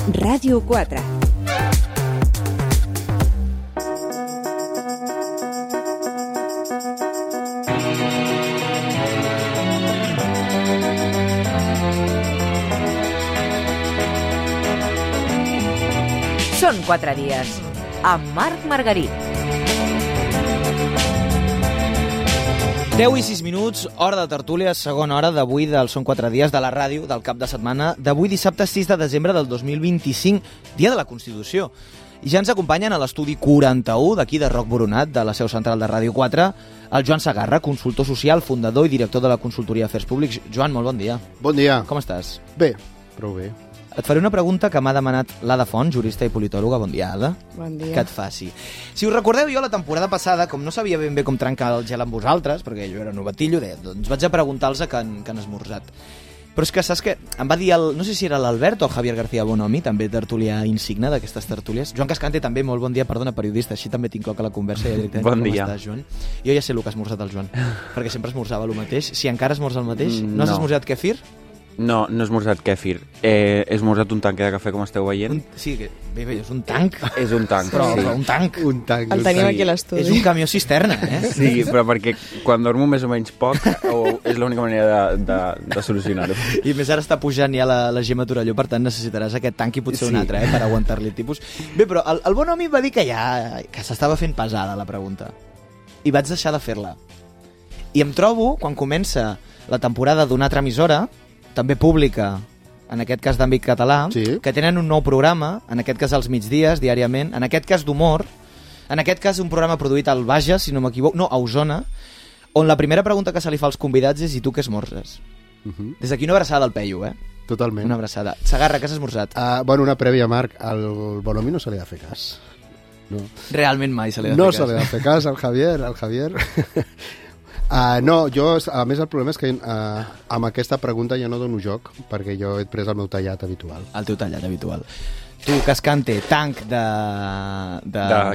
Ràdio 4. Són 4 dies, amb Marc Margarit. 10 i 6 minuts, hora de tertúlia, segona hora d'avui del Són 4 dies de la ràdio del cap de setmana d'avui dissabte 6 de desembre del 2025, dia de la Constitució. I ja ens acompanyen a l'estudi 41 d'aquí de Roc Boronat, de la seu central de Ràdio 4, el Joan Sagarra, consultor social, fundador i director de la Consultoria d'Afers Públics. Joan, molt bon dia. Bon dia. Com estàs? Bé, prou bé. Et faré una pregunta que m'ha demanat l'Ada Font, jurista i politòloga. Bon dia, Ada. Bon dia. Que et faci. Si us recordeu, jo la temporada passada, com no sabia ben bé com trencar el gel amb vosaltres, perquè jo era novatillo, doncs vaig a preguntar-los que han esmorzat. Però és que saps que em va dir, no sé si era l'Albert o el Javier García Bonomi, també tertulià insigne d'aquestes tertúlies. Joan Cascante també, molt bon dia, perdona, periodista, així també tinc a la conversa. Ja directament. Bon dia. Com estàs, Joan? Jo ja sé el que ha esmorzat el Joan, perquè sempre esmorzava el mateix. Si encara esmorza el mateix, no has esmorzat kefir? No, no he esmorzat kèfir. He esmorzat un tanque de cafè, com esteu veient. Sí, bé, és un tanc. És un tanc, Però sí. un tanc. El tenim aquí a l'estudi. És un camió cisterna, Sí, però perquè quan dormo més o menys poc és l'única manera de solucionar-ho. I més ara està pujant ja la Gemma Torelló, per tant necessitaràs aquest tanc i potser un altre, per aguantar-li el tipus. Bé, però el Bonomi va dir que s'estava fent pesada la pregunta. I vaig deixar de fer-la. I em trobo, quan comença la temporada d'una altra emissora, també pública, en aquest cas d'àmbit català, sí, que tenen un nou programa, en aquest cas als migdies, diàriament, en aquest cas d'humor, en aquest cas un programa produït al Bages, si no m'equivoco, no, a Osona, on la primera pregunta que se li fa als convidats és: i tu què esmorzes? Des d'aquí una abraçada al Peyu, Totalment. Una abraçada. Sagarra, què has esmorzat? Bueno, una prèvia, Marc. Al Bonomi no se li ha de fer cas. No. Realment mai se li ha de No fer cas. se li ha de fer cas al Javier. No, jo, a més, el problema és que amb aquesta pregunta ja no dono joc, perquè jo he pres el meu tallat habitual. El teu tallat habitual. Tu, Cascante, tanc de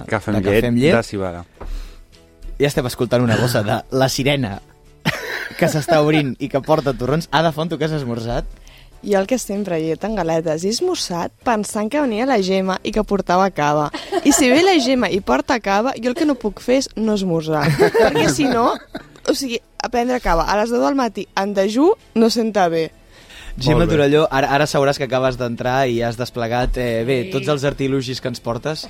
cafè amb llet, de cibada. Ja estem escoltant una bossa de La Sirena que s'està obrint i que porta torrons. Ada Font, tu què has esmorzat? Jo el que sempre he dit en galetes, he esmorzat pensant que venia la Gemma i que portava cava. I si ve la Gemma i porta cava, jo el que no puc fer és no esmorzar. Perquè si no, o sigui, a prendre cava a les 10 del matí en dejú no senta bé. Gemma Torelló, ara sabràs que acabes d'entrar i has desplegat tots els artilugis que ens portes.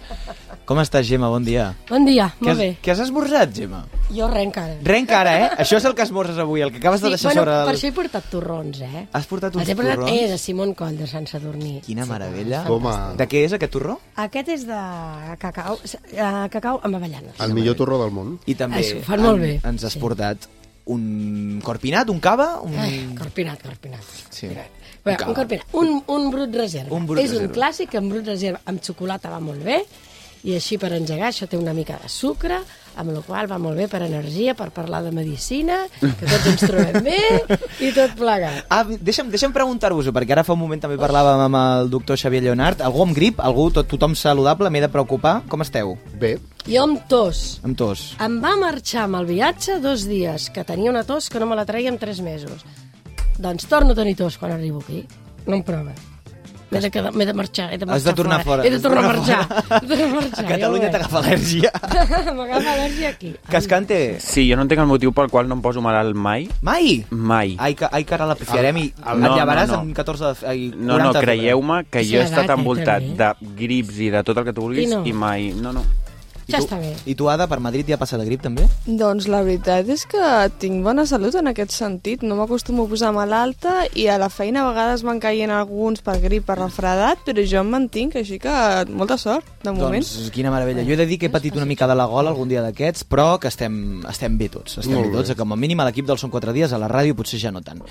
Com estàs, Gemma? Bon dia. Bon dia, molt bé. Què has esmorzat, Gemma? Jo res encara. Res encara, Això és el que esmorzes avui, el que acabes de deixar sobre... Per això he portat torrons, Has portat uns torrons? torrons? De Simón Coll, de Sant Sadurní. Quina meravella. Home. De què és aquest torró? Aquest és de cacau amb avellanes. El millor torró del món. I també Això, fan molt bé. ens has portat un corpinat, un cava? Corpinat. Sí. Bé, un corpinat. Un brut reserva. Un brut és reserva. un clàssic, en brut reserva amb xocolata va molt bé, i així per engegar això té una mica de sucre, amb la qual va molt bé per energia, per parlar de medicina, que tots ens trobem bé i tot plegat. Deixa'm preguntar-vos-ho, perquè ara fa un moment també parlàvem amb el doctor Xavier Lleonart. Algú amb grip? Tothom saludable? M'he de preocupar? Com esteu? Bé. Jo amb tos. Amb tos. Em va marxar amb el viatge 2 dies, que tenia una tos que no me la treia en 3 mesos. Doncs torno a tenir tos quan arribo aquí. No em prova. M'he de marxar, Has de tornar fora. He de tornar a marxar. A Catalunya t'agafa al·lèrgia. M'agafa al·lèrgia aquí. Cascante. Sí, jo no entenc el motiu pel qual no em poso malalt mai. Mai? Mai. Ai, que ara la pifiarem i et No, llevaràs no. amb 14... No, creieu-me que Sí, jo he estat edat, envoltat també. de grips i de tot el que tu vulguis I mai... No. Ja està bé. I tu, Ada, per Madrid ja passa de grip, també? Doncs la veritat és que tinc bona salut en aquest sentit. No m'acostumo a posar malalta i a la feina a vegades van caient alguns per grip, per refredat, però jo em mantinc, així que molta sort, de moment. Doncs quina meravella. Jo he de dir que he patit una mica de la gola algun dia d'aquests, però que estem bé tots. Estem bé tots, com a mínim a l'equip del Són 4 dies, a la ràdio potser ja no tant.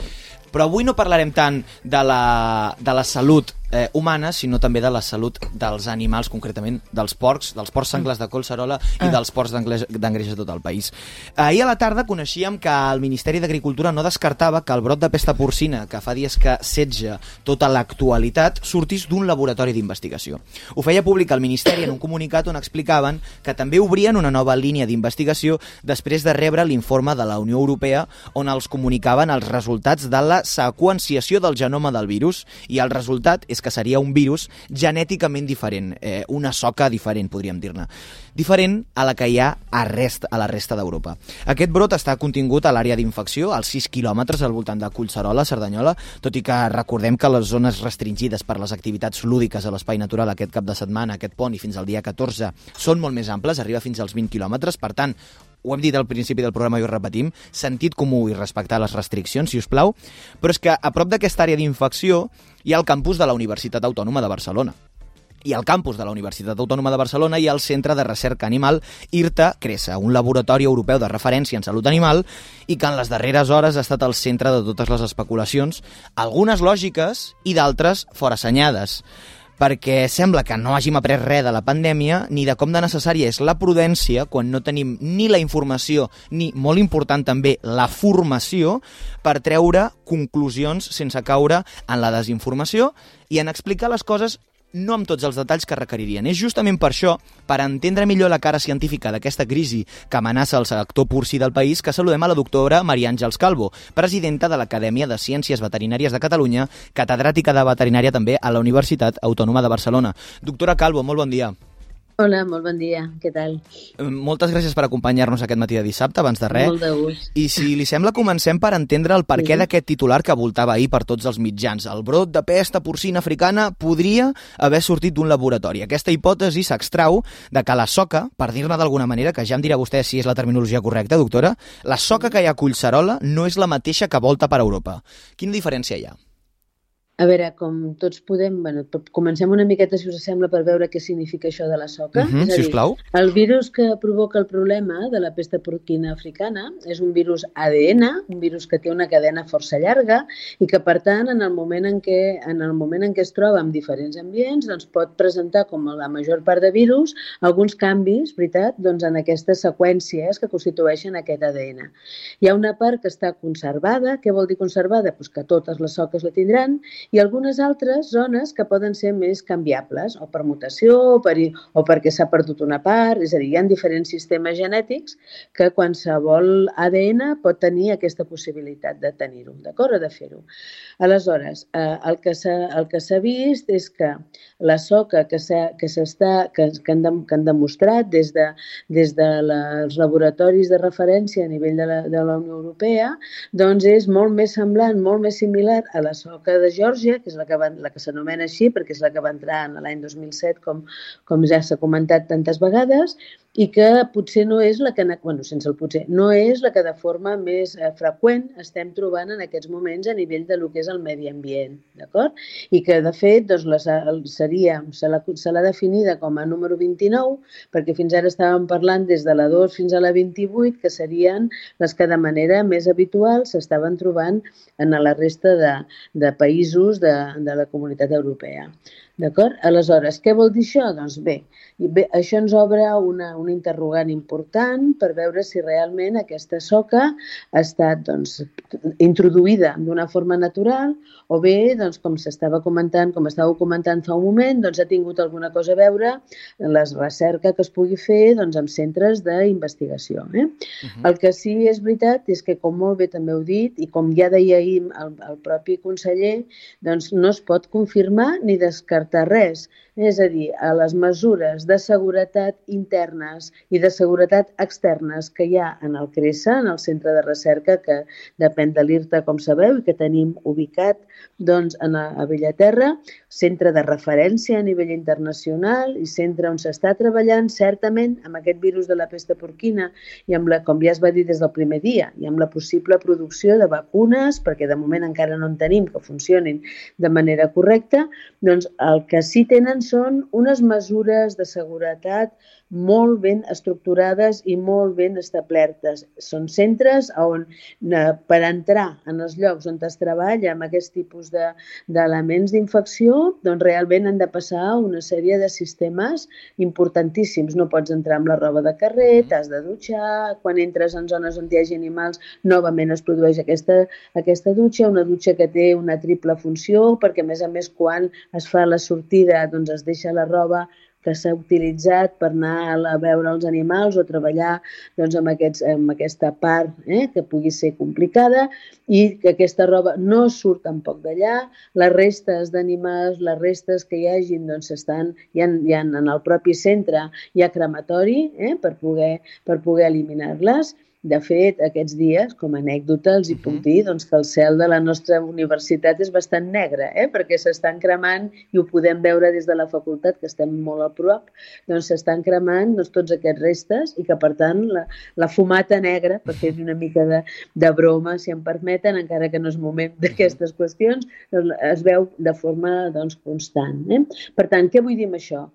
Però avui no parlarem tant de la salut humana, sinó també de la salut dels animals, concretament dels porcs senglars de Collserola i dels porcs d'engreix a tot el país. Ahir a la tarda coneixíem que el Ministeri d'Agricultura no descartava que el brot de pesta porcina, que fa dies que setja tota l'actualitat, sortís d'un laboratori d'investigació. Ho feia públic el Ministeri en un comunicat on explicaven que també obrien una nova línia d'investigació després de rebre l'informe de la Unió Europea on els comunicaven els resultats de la seqüenciació del genoma del virus i el resultat és que seria un virus genèticament diferent, una soca diferent, podríem dir-ne. Diferent a la que hi ha a la resta d'Europa. Aquest brot està contingut a l'àrea d'infecció, als 6 quilòmetres al voltant de Collserola, Cerdanyola, tot i que recordem que les zones restringides per les activitats lúdiques a l'espai natural aquest cap de setmana, aquest pont i fins al dia 14, són molt més amples, arriba fins als 20 quilòmetres, per tant, ho hem dit al principi del programa i ho repetim, sentit comú i respectar les restriccions, si us plau, però és que a prop d'aquesta àrea d'infecció hi ha el campus de la Universitat Autònoma de Barcelona. I al campus de la Universitat Autònoma de Barcelona hi ha el Centre de Recerca Animal IRTA-Cresa, un laboratori europeu de referència en salut animal i que en les darreres hores ha estat el centre de totes les especulacions, algunes lògiques i d'altres forassenyades, perquè sembla que no hàgim après res de la pandèmia ni de com de necessària és la prudència quan no tenim ni la informació ni, molt important també, la formació per treure conclusions sense caure en la desinformació i en explicar les coses no amb tots els detalls que requeririen. És justament per això, per entendre millor la cara científica d'aquesta crisi que amenaça el sector porcí del país, que saludem a la doctora Maria Àngels Calvo, presidenta de l'Acadèmia de Ciències Veterinàries de Catalunya, catedràtica de veterinària també a la Universitat Autònoma de Barcelona. Doctora Calvo, molt bon dia. Hola, molt bon dia. Què tal? Moltes gràcies per acompanyar-nos aquest matí de dissabte, abans de res. Molt de gust. I si li sembla, comencem per entendre el perquè d'aquest titular que voltava ahir per tots els mitjans. El brot de pesta porcina africana podria haver sortit d'un laboratori. Aquesta hipòtesi s'extrau de que la soca, per dir-ne d'alguna manera, que ja em dirà vostè si és la terminologia correcta, doctora, la soca que hi ha a Collserola no és la mateixa que volta per Europa. Quina diferència hi ha? A veure, com tots podem... comencem una miqueta, si us sembla, per veure què significa això de la soca. És a dir, sisplau. El virus que provoca el problema de la pesta porquina africana és un virus ADN, un virus que té una cadena força llarga i que, per tant, en el moment en què es troba en diferents ambients, doncs pot presentar, com la major part de virus, alguns canvis, veritat, doncs en aquestes seqüències que constitueixen aquest ADN. Hi ha una part que està conservada. Què vol dir conservada? Pues que totes les soques la tindran, i algunes altres zones que poden ser més canviables, o per mutació, o perquè s'ha perdut una part, és a dir, hi ha diferents sistemes genètics que qualsevol ADN pot tenir aquesta possibilitat de tenir-ho, d'acord? O de fer-ho. Aleshores, el que s'ha vist és que la soca que han demostrat des dels laboratoris de referència a nivell de la Unió Europea, doncs és molt més semblant, molt més similar a la soca de Geòrgia, que és la que s'anomena així, perquè és la que va entrar l'any 2007, com ja s'ha comentat tantes vegades, i que potser no és la que, sense el potser, no és la que de forma més freqüent estem trobant en aquests moments a nivell de lo que és el medi ambient, d'acord? I que, de fet, doncs, se l'ha definida com a número 29, perquè fins ara estàvem parlant des de la 2 fins a la 28, que serien les que de manera més habitual s'estaven trobant en la resta de països de la Comunitat Europea. D'acord? Aleshores, què vol dir això? Doncs bé, això ens obre una interrogant important per veure si realment aquesta soca ha estat introduïda d'una forma natural o bé, com estàveu comentant fa un moment, ha tingut alguna cosa a veure en la recerca que es pugui fer en centres d'investigació. El que sí és veritat és que, com molt bé també heu dit, i com ja deia ahir el propi conseller, no es pot confirmar ni descartar res. És a dir, a les mesures de seguretat internes i de seguretat externes que hi ha en el CRESA, en el centre de recerca que depèn de l'IRTA, com sabeu, i que tenim ubicat a Bellaterra, centre de referència a nivell internacional i centre on s'està treballant certament amb aquest virus de la pesta porquina i amb com ja es va dir des del primer dia, i amb la possible producció de vacunes, perquè de moment encara no en tenim que funcionin de manera correcta, doncs el que sí tenen són unes mesures de seguretat molt ben estructurades i molt ben establertes. Són centres on, per entrar en els llocs on es treballa amb aquest tipus d'elements d'infecció, doncs realment han de passar una sèrie de sistemes importantíssims. No pots entrar amb la roba de carrer, t'has de dutxar, quan entres en zones on hi hagi animals, novament es produeix aquesta dutxa, una dutxa que té una triple funció, perquè a més, quan es fa la sortida, doncs es deixa la roba que s'ha utilitzat per anar a veure els animals o treballar doncs, amb aquesta part que pugui ser complicada i que aquesta roba no surt tampoc d'allà. Les restes d'animals, les restes que hi hagin, doncs hi ha en el propi centre hi ha crematori per poder eliminar-les. De fet, aquests dies, com a anècdota, els hi puc dir doncs, que el cel de la nostra universitat és bastant negre, perquè s'estan cremant, i ho podem veure des de la facultat, que estem molt a prop, doncs s'estan cremant tots aquests restes i que, per tant, la fumata negra, per fer una mica de broma, si em permeten, encara que no és moment d'aquestes qüestions, doncs, es veu de forma constant. Per tant, què vull dir amb això?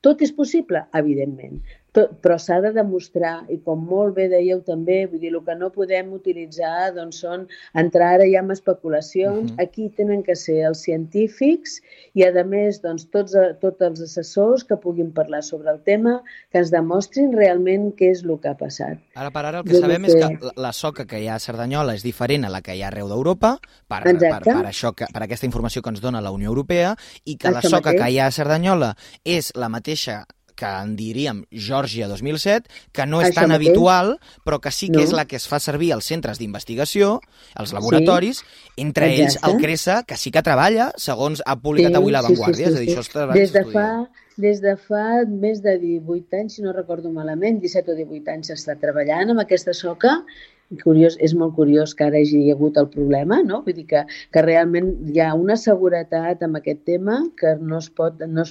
Tot és possible? Evidentment. Però s'ha de demostrar, i com molt bé dèieu també, vull dir, el que no podem utilitzar són entrar ara ja en especulacions. Aquí tenen que ser els científics i, a més, tots els assessors que puguin parlar sobre el tema, que ens demostrin realment què és el que ha passat. Ara per ara el que sabem és que la soca que hi ha a Cerdanyola és diferent a la que hi ha arreu d'Europa, per aquesta informació que ens dona la Unió Europea, i que la soca que hi ha a Cerdanyola és la mateixa que en diríem Geòrgia 2007, que no és tan habitual, però que sí que és la que es fa servir als centres d'investigació, als laboratoris, entre ells el CRESA, que sí que treballa, segons ha publicat avui La Vanguardia. És a dir, això està estudiant. Des de fa més de 18 anys, si no recordo malament, 17 o 18 anys s'està treballant amb aquesta soca. És molt curiós que ara hi hagi hagut el problema, no? Vull dir que realment hi ha una seguretat amb aquest tema que no es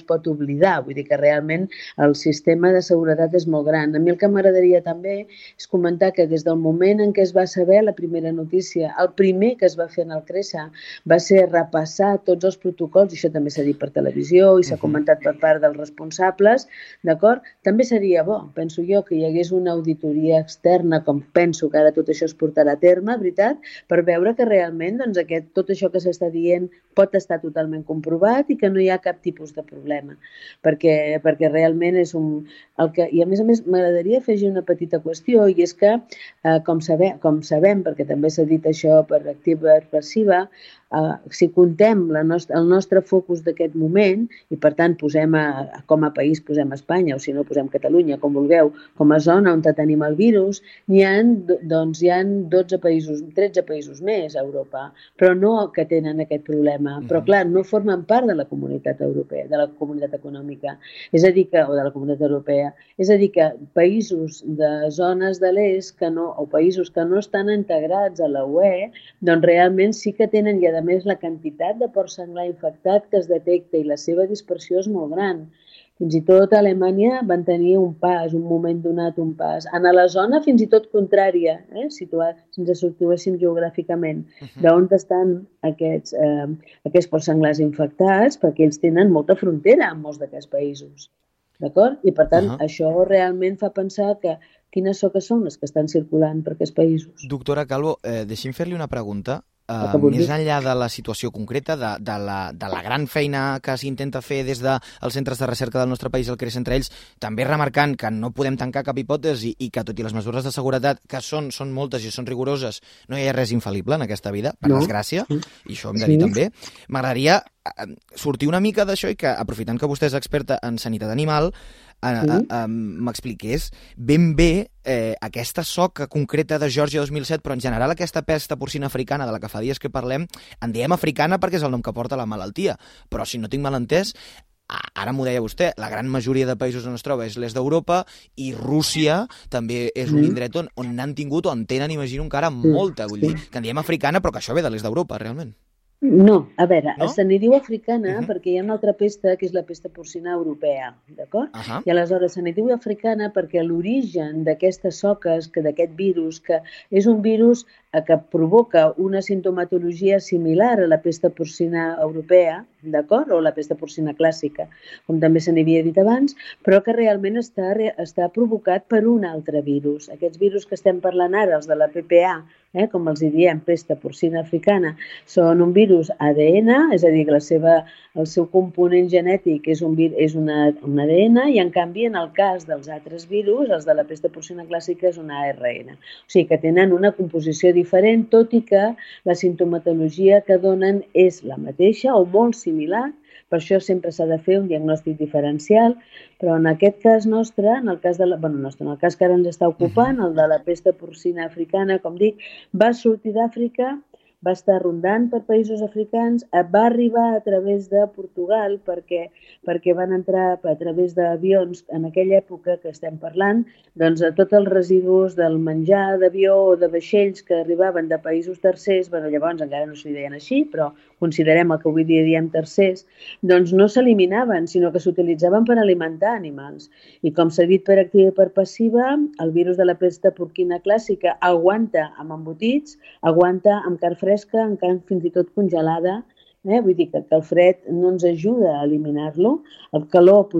pot oblidar. Vull dir que realment el sistema de seguretat és molt gran. A mi el que m'agradaria també és comentar que des del moment en què es va saber la primera notícia, el primer que es va fer en el CRESA va ser repassar tots els protocols, i això també s'ha dit per televisió i s'ha comentat per part dels responsables, d'acord? També seria bo, penso jo, que hi hagués una auditoria externa, com penso que ara tot això es portarà a terme, veritat, per veure que realment tot això que s'està dient pot estar totalment comprovat i que no hi ha cap tipus de problema. Perquè realment és I a més m'agradaria afegir una petita qüestió, i és que, com sabem, perquè també s'ha dit això per activa i passiva, si contem el nostre focus d'aquest moment, i per tant com a país posem Espanya, o si no posem Catalunya, com vulgueu, com a zona on tenim el virus, hi ha 12 països, 13 països més a Europa, però no que tenen aquest problema. Però clar, no formen part de la comunitat europea, de la comunitat econòmica, o de la comunitat europea. És a dir, que països de zones de l'est o països que no estan integrats a la UE, doncs realment sí que tenen, i a més la quantitat de porc senglar infectat que es detecta i la seva dispersió és molt gran. Fins i tot a Alemanya van tenir un moment donat un pas. En la zona fins i tot contrària, si ens situéssim geogràficament, d'on estan aquests porcs senglars infectats, perquè ells tenen molta frontera amb molts d'aquests països. D'acord? I per tant, això realment fa pensar que quines soques són les que estan circulant per aquests països. Doctora Calvo, deixi'm fer-li una pregunta. Més enllà de la situació concreta, de la gran feina que s'intenta fer des dels centres de recerca del nostre país, el CRESA entre ells, també remarcant que no podem tancar cap hipòtesi i que tot i les mesures de seguretat, que són moltes i són rigoroses, no hi ha res infal·lible en aquesta vida, per desgràcia, i això hem de dir també. M'agradaria sortir una mica d'això i que, aprofitant que vostè és experta en sanitat animal, m'expliqués ben bé aquesta soca concreta de Geòrgia 2007, però en general aquesta pesta porcina africana de la que fa dies que parlem, en diem africana perquè és el nom que porta la malaltia, però si no tinc mal entès, ara m'ho deia vostè, la gran majoria de països on es troba és l'est d'Europa i Rússia també és un indret on n'han tingut o en tenen, imagino, encara molta, vull dir, que en diem africana però que això ve de l'est d'Europa, realment. No, a veure, se n'hi diu africana perquè hi ha una altra pesta que és la pesta porcina europea, d'acord? I aleshores se n'hi diu africana perquè l'origen d'aquestes soques, d'aquest virus, que és un virus que provoca una sintomatologia similar a la pesta porcina europea, d'acord? O la pesta porcina clàssica, com també se n'havia dit abans, però que realment està provocat per un altre virus. Aquests virus que estem parlant ara, els de la PPA, com els diem, pesta porcina africana, són un virus ADN, és a dir, que el seu component genètic és un ADN i, en canvi, en el cas dels altres virus, els de la pesta porcina clàssica és un ARN. O sigui que tenen una composició diferent, tot i que la sintomatologia que donen és la mateixa o molt similar, Per això sempre s'ha de fer un diagnòstic diferencial, però en aquest cas nostre, en el cas en el cas que ara ens està ocupant, el de la pesta porcina africana, com dic, va sortir d'Àfrica, va estar rondant per països africans, va arribar a través de Portugal perquè van entrar a través d'avions en aquella època que estem parlant, doncs a tots els residus del menjar d'avió o de vaixells que arribaven de països tercers, llavors encara no s'hi deien així, però considerem el que avui dia diem tercers, doncs no s'eliminaven, sinó que s'utilitzaven per alimentar animals. I com s'ha dit per activa i per passiva, el virus de la pesta porquina clàssica aguanta amb embotits, aguanta amb carn fresca, amb carn fins i tot congelada. Vull dir que el fred no ens ajuda a eliminar-lo. El calor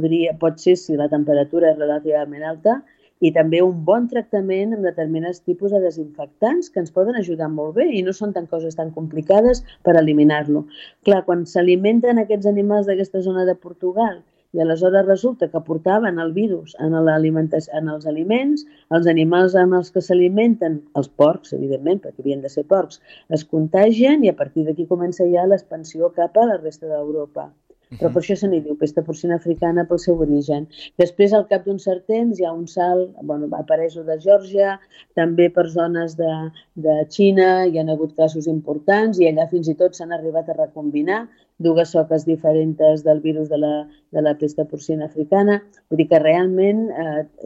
pot ser si la temperatura és relativament alta, i també un bon tractament amb determinats tipus de desinfectants que ens poden ajudar molt bé i no són coses tan complicades per eliminar-lo. Clar, quan s'alimenten aquests animals d'aquesta zona de Portugal i aleshores resulta que portaven el virus en els aliments, els animals amb els que s'alimenten, els porcs, evidentment, perquè havien de ser porcs, es contagien i a partir d'aquí comença ja l'expansió cap a la resta d'Europa. Però per això se n'hi diu pesta porcina africana pel seu origen. Després, al cap d'un cert temps, hi ha un salt, apareix de Geòrgia, també per zones de Xina, hi ha hagut casos importants i allà fins i tot s'han arribat a recombinar dues soques diferents del virus de la pesta porcina africana. Vull dir que realment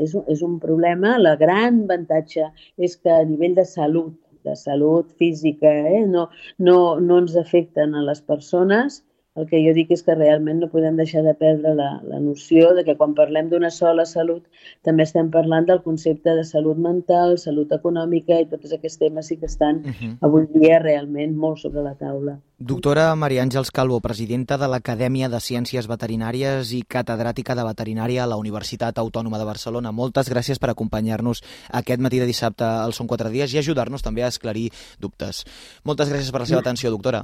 és un problema. El gran avantatge és que a nivell de salut física, no ens afecten a les persones. El que jo dic és que realment no podem deixar de perdre la noció de que quan parlem d'una sola salut també estem parlant del concepte de salut mental, salut econòmica i tots aquests temes sí que estan avui dia realment molt sobre la taula. Doctora Maria Àngels Calvo, presidenta de l'Acadèmia de Ciències Veterinàries i catedràtica de veterinària a la Universitat Autònoma de Barcelona. Moltes gràcies per acompanyar-nos aquest matí de dissabte al Són 4 dies i ajudar-nos també a esclarir dubtes. Moltes gràcies per la seva atenció, doctora.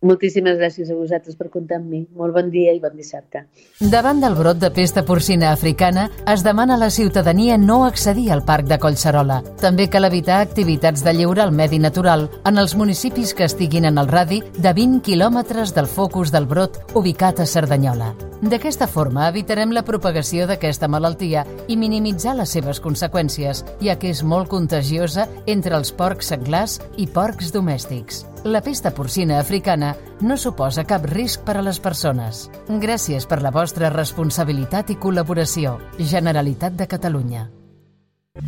Moltíssimes gràcies a vosaltres per comptar amb mi. Molt bon dia i bon dissabte. Davant del brot de pesta porcina africana, es demana a la ciutadania no accedir al Parc de Collserola. També cal evitar activitats de lleure al medi natural en els municipis que estiguin en el radi de 20 quilòmetres del focus del brot ubicat a Cerdanyola. D'aquesta forma evitarem la propagació d'aquesta malaltia i minimitzar les seves conseqüències, ja que és molt contagiosa entre els porcs senglars i porcs domèstics. La pesta porcina africana no suposa cap risc per a les persones. Gràcies per la vostra responsabilitat i col·laboració. Generalitat de Catalunya.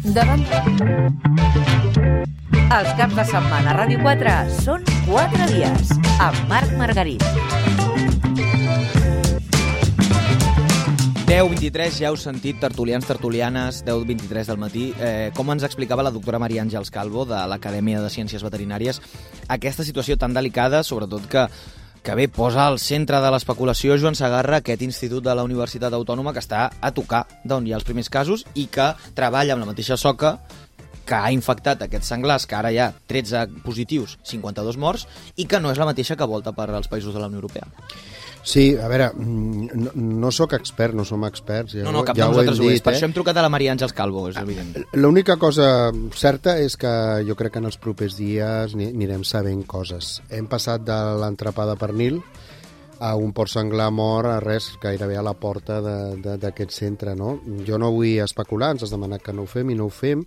Davant... Els caps de setmana a Ràdio 4 són 4 dies amb Marc Margarit. 10:23, ja heu sentit, tertulians, tertulianes, 10:23 del matí. Com ens explicava la doctora Maria Àngels Calvo de l'Acadèmia de Ciències Veterinàries, aquesta situació tan delicada, sobretot que bé, posa al centre de l'especulació Joan Segarra, aquest institut de la Universitat Autònoma que està a tocar d'on hi ha els primers casos i que treballa amb la mateixa soca que ha infectat aquests senglars, que ara hi ha 13 positius, 52 morts, i que no és la mateixa que volta per als països de la Unió Europea. Sí, a veure, no sóc expert, no som experts. No, cap de nosaltres ho és. Per això hem trucat a la Maria Àngels Calvo, és evident. L'única cosa certa és que jo crec que en els propers dies anirem sabent coses. Hem passat de l'entrepà de pernil a un porc senglar mort a res, gairebé a la porta d'aquest centre, no? Jo no vull especular, ens has demanat que no ho fem i no ho fem,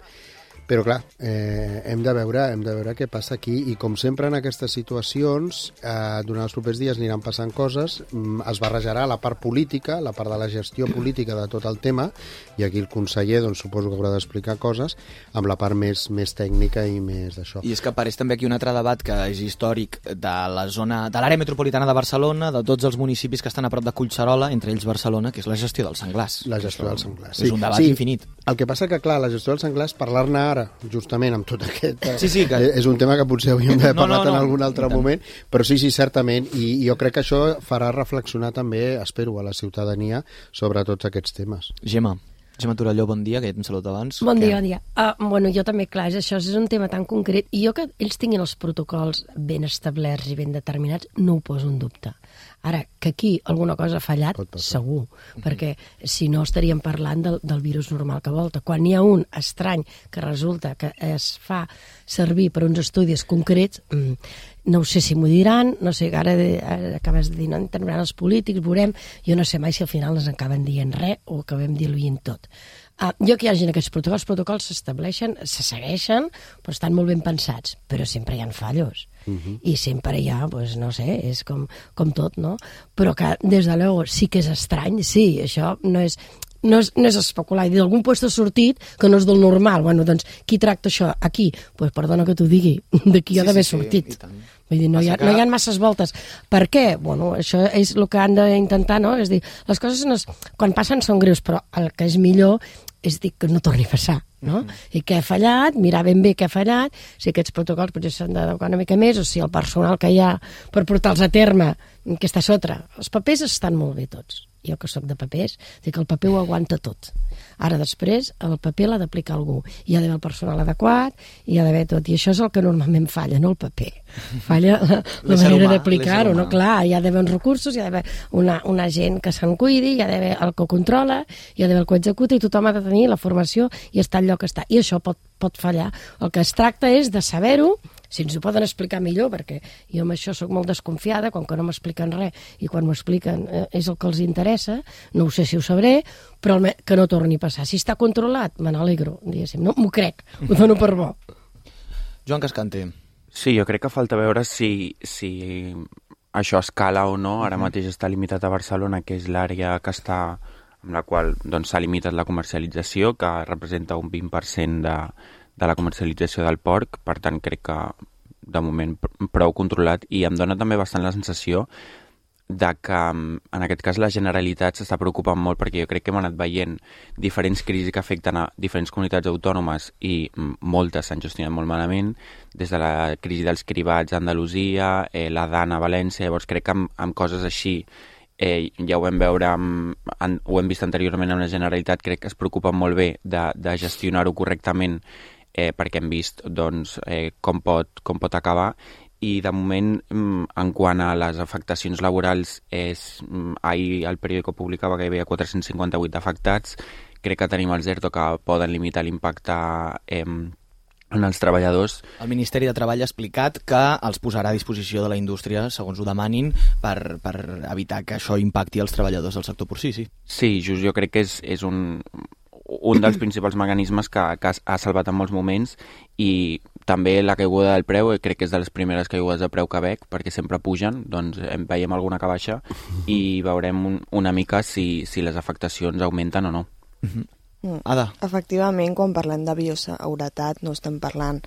però clar, hem de veure què passa aquí i com sempre en aquestes situacions durant els propers dies aniran passant coses, es barrejarà la part política, la part de la gestió política de tot el tema i aquí el conseller doncs, suposo que haurà d'explicar coses amb la part més tècnica i més d'això. I és que apareix també aquí un altre debat que és històric de la zona, de l'àrea metropolitana de Barcelona, de tots els municipis que estan a prop de Collserola, entre ells Barcelona, que és la gestió dels senglars. La gestió dels senglars, sí. És un debat infinit. El que passa que, clar, la gestió dels senglars, parlar-ne ara justament amb tot aquest... Sí, que... És un tema que potser hauríem d'haver parlat en algun altre moment, però sí, certament, i jo crec que això farà reflexionar també, espero, a la ciutadania sobre tots aquests temes. Gemma Torelló, bon dia, que ja t'hem saludat abans. Bon dia. Bueno, jo també, clar, això és un tema tan concret, i jo que ells tinguin els protocols ben establerts i ben determinats, no ho poso en dubte. Ara, que aquí alguna cosa ha fallat, segur, perquè si no estaríem parlant del virus normal que volta. Quan hi ha un estrany que resulta que es fa servir per uns estudis concrets, No ho sé si m'ho diran, no sé, ara acabes de dir, no intervindran els polítics, veurem, jo no sé mai si al final ens acaben dient res o acabem diluint tot. Jo que hi hagi aquests protocols, els protocols s'estableixen, se segueixen, però estan molt ben pensats, però sempre hi ha fallos. I sempre hi ha, pues, no sé, és com tot, no? Però que, des de luego, sí que és estrany, sí, això no és especular, i d'algun lloc ha sortit que no és del normal. Bueno, doncs, qui tracta això? Aquí? Pues perdona que t'ho digui, d'aquí ha d'haver sortit. Vull dir, no hi ha masses voltes. Per què? Bueno, això és el que han d'intentar, no? És dir, les coses quan passen són greus, però el que és millor és dir que no torni a passar, no? I què ha fallat, mirar ben bé què ha fallat, si aquests protocols potser s'han d'adequar una mica més, o si el personal que hi ha per portar-los a terme, que està sota. Els papers estan molt bé tots. Jo que soc de papers, dic que el paper ho aguanta tot. Ara després el paper l'ha d'aplicar algú. Hi ha d'haver el personal adequat, hi ha d'haver tot. I això és el que normalment falla, no el paper. Falla la manera d'aplicar-ho, no? Clar, hi ha d'haver uns recursos, hi ha d'haver una gent que se'n cuidi, hi ha d'haver el que ho controla, hi ha d'haver el que ho executa, i tothom ha de tenir la formació i estar al lloc que està. I això pot fallar. El que es tracta és de saber-ho, si ens ho poden explicar millor, perquè jo amb això sóc molt desconfiada, com que no m'expliquen res, i quan m'ho expliquen és el que els interessa, no ho sé si ho sabré, però que no torni a passar. Si està controlat, me n'alegro, diguéssim. No, m'ho crec, ho dono per bo. Joan Cascante. Sí, jo crec que falta veure si això escala o no. Ara mateix està limitat a Barcelona, que és l'àrea que està amb la qual s'ha limitat la comercialització, que representa un 20% de la comercialització del porc, per tant crec que de moment prou controlat, i em dona també bastant la sensació de que en aquest cas la Generalitat s'està preocupant molt, perquè jo crec que hem anat veient diferents crisis que afecten a diferents comunitats autònomes i moltes s'han gestionat molt malament, des de la crisi dels cribats a Andalusia, la DAN a València. Llavors crec que amb coses així ja ho vam veure, ho hem vist anteriorment amb la Generalitat, crec que es preocupen molt bé de gestionar-ho correctament, perquè hem vist com pot acabar. I de moment, en quant a les afectacions laborals, ahir el periòdico publicava que hi havia 458 afectats. Crec que tenim els ERTO que poden limitar l'impacte en els treballadors. El Ministeri de Treball ha explicat que els posarà a disposició de la indústria segons ho demanin per evitar que això impacti els treballadors del sector porcí, sí. Sí, just, jo crec que és un dels principals mecanismes que ha salvat en molts moments, i també la caiguda del preu, crec que és de les primeres caigudes de preu que veig, perquè sempre pugen, doncs veiem alguna que baixa i veurem una mica si les afectacions augmenten o no. Ada. Efectivament, quan parlem de bioseguretat no estem parlant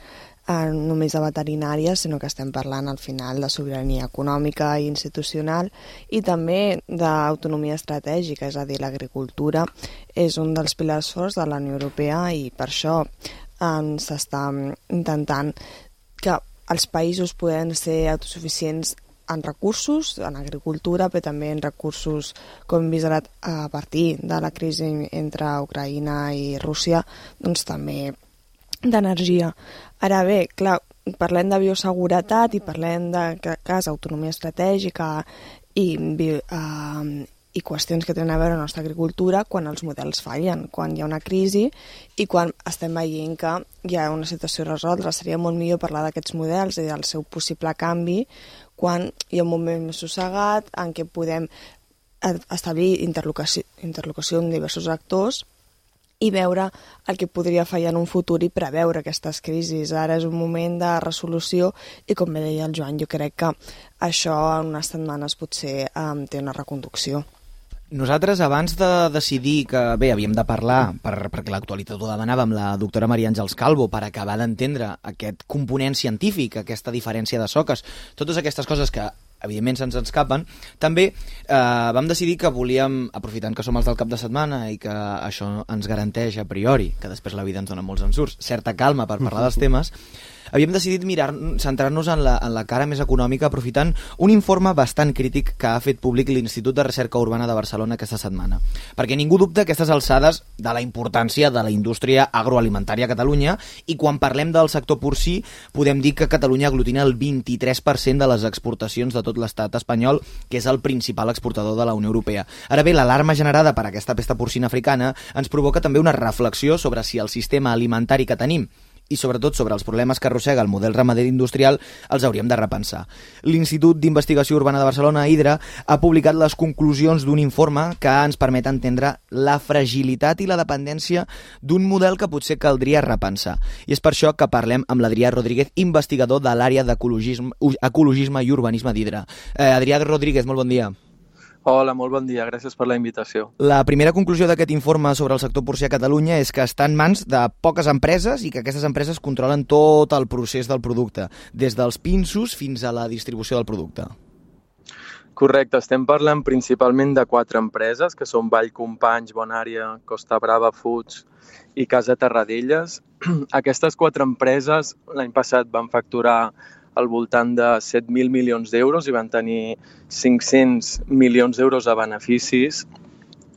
només de veterinària, sinó que estem parlant al final de sobirania econòmica i institucional, i també d'autonomia estratègica, és a dir, l'agricultura és un dels pilars forts de la Unió Europea, i per això s'està intentant que els països poden ser autosuficients en recursos, en agricultura, però també en recursos, com hem vist ara a partir de la crisi entre Ucraïna i Rússia, doncs també d'energia. Ara bé, clar, parlem de bioseguretat i parlem de cas autonomia estratègica i qüestions que tenen a veure amb la nostra agricultura quan els models fallen, quan hi ha una crisi i quan estem veient que hi ha una situació a resoldre. Seria molt millor parlar d'aquests models i del seu possible canvi quan hi ha un moment més sossegat en què podem establir interlocució amb diversos actors i veure el que podria fallar en un futur i preveure aquestes crisis. Ara és un moment de resolució i, com bé deia el Joan, jo crec que això en unes setmanes potser té una reconducció. Nosaltres, abans de decidir que, bé, havíem de parlar, perquè l'actualitat ho demanava, amb la doctora Maria Àngels Calvo, per acabar d'entendre aquest component científic, aquesta diferència de soques, totes aquestes coses que evidentment se'ns escapen, també vam decidir que volíem, aprofitant que som els del cap de setmana i que això ens garanteix a priori, que després la vida ens dona molts ensurts, certa calma per parlar dels temes, havíem decidit centrar-nos en la cara més econòmica, aprofitant un informe bastant crític que ha fet públic l'Institut de Recerca Urbana de Barcelona aquesta setmana. Perquè ningú dubta aquestes alçades de la importància de la indústria agroalimentària a Catalunya, i quan parlem del sector porcí podem dir que Catalunya aglutina el 23% de les exportacions de tot l'estat espanyol, que és el principal exportador de la Unió Europea. Ara bé, l'alarma generada per aquesta pesta porcina africana ens provoca també una reflexió sobre si el sistema alimentari que tenim i sobretot sobre els problemes que arrossega el model ramader industrial els hauríem de repensar. L'Institut d'Investigació Urbana de Barcelona, IDRA, ha publicat les conclusions d'un informe que ens permet entendre la fragilitat i la dependència d'un model que potser caldria repensar. I és per això que parlem amb l'Adrià Rodríguez, investigador de l'àrea d'ecologisme i urbanisme d'IDRA. Adrià Rodríguez, molt bon dia. Hola, molt bon dia, gràcies per la invitació. La primera conclusió d'aquest informe sobre el sector porcí a Catalunya és que està en mans de poques empreses i que aquestes empreses controlen tot el procés del producte, des dels pinsos fins a la distribució del producte. Correcte, estem parlant principalment de 4 empreses, que són Vallcompanys, Bonària, Costa Brava Foods i Casa Terradellas. Aquestes 4 empreses l'any passat van facturar al voltant de 7.000 milions d'euros i van tenir 500 milions d'euros de beneficis.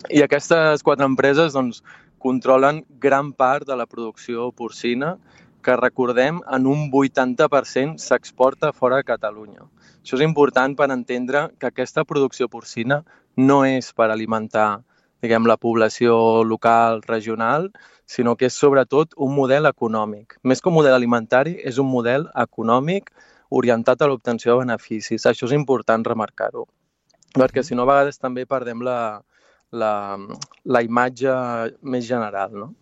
I aquestes 4 empreses controlen gran part de la producció porcina, que recordem en un 80% s'exporta fora de Catalunya. Això és important per entendre que aquesta producció porcina no és per alimentar la població local, regional, sinó que és sobretot un model econòmic. Més que un model alimentari, és un model econòmic orientat a l'obtenció de beneficis. Això és important remarcar-ho, perquè si no a vegades també perdem la imatge més general, no?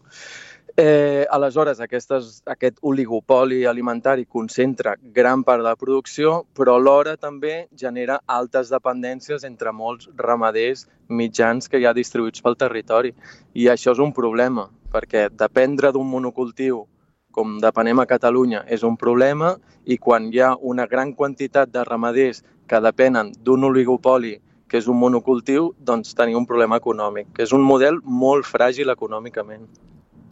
Aleshores, aquest oligopoli alimentari concentra gran part de la producció, però alhora també genera altes dependències entre molts ramaders mitjans que hi ha distribuïts pel territori. I això és un problema, perquè dependre d'un monocultiu, com depenem a Catalunya, és un problema, i quan hi ha una gran quantitat de ramaders que depenen d'un oligopoli, que és un monocultiu, doncs tenim un problema econòmic, que és un model molt fràgil econòmicament.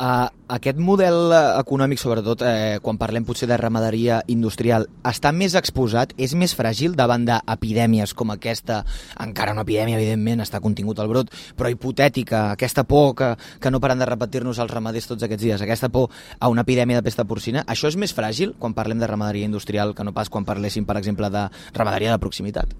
Aquest model econòmic, sobretot quan parlem potser de ramaderia industrial, està més exposat, és més fràgil davant d'epidèmies com aquesta, encara una epidèmia, evidentment, està contingut al brot, però hipotètica, aquesta por que no paren de repetir-nos els ramaders tots aquests dies, aquesta por a una epidèmia de pesta porcina, això és més fràgil quan parlem de ramaderia industrial que no pas quan parléssim, per exemple, de ramaderia de proximitat?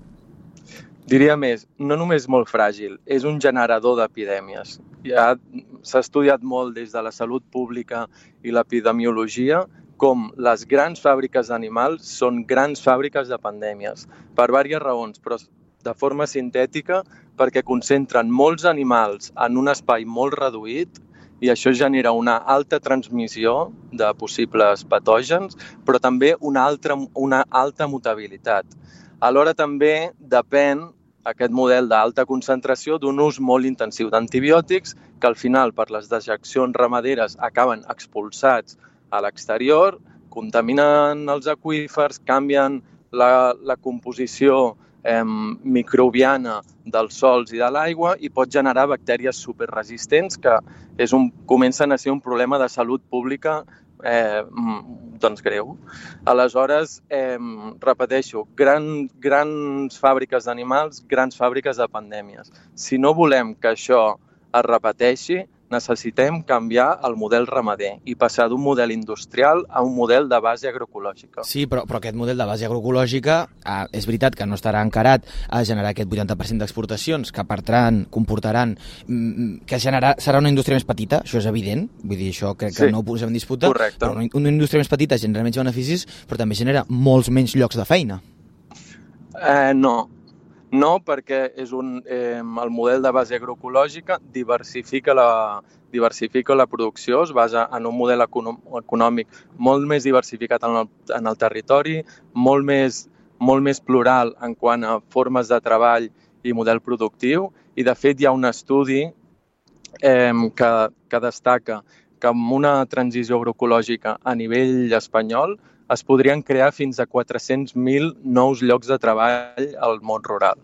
Diria més, no només molt fràgil, és un generador d'epidèmies. Ja s'ha estudiat molt des de la salut pública i l'epidemiologia com les grans fàbriques d'animals són grans fàbriques de pandèmies, per diverses raons, però de forma sintètica perquè concentren molts animals en un espai molt reduït i això genera una alta transmissió de possibles patògens, però també una alta mutabilitat. Alhora també depèn aquest model d'alta concentració d'un ús molt intensiu d'antibiòtics que al final per les dejeccions ramaderes acaben expulsats a l'exterior, contaminen els aqüífers, canvien la composició microbiana dels sòls i de l'aigua i pot generar bactèries superresistents que comencen a ser un problema de salut pública greu. Aleshores, repeteixo, grans fàbriques d'animals, grans fàbriques de pandèmies. Si no volem que això es repeteixi, necessitem canviar el model ramader i passar d'un model industrial a un model de base agroecològica. Sí, però aquest model de base agroecològica és veritat que no estarà encarat a generar aquest 80% d'exportacions que comportaran que serà una indústria més petita, això és evident, vull dir, això crec que no ho posem en disputa, correcte. Però una indústria més petita genera menys beneficis, però també genera molts menys llocs de feina. No, perquè el model de base agroecològica diversifica la producció, es basa en un model econòmic molt més diversificat en el territori, molt més plural en quant a formes de treball i model productiu, i de fet hi ha un estudi que destaca que amb una transició agroecològica a nivell espanyol es podrien crear fins a 400.000 nous llocs de treball al món rural.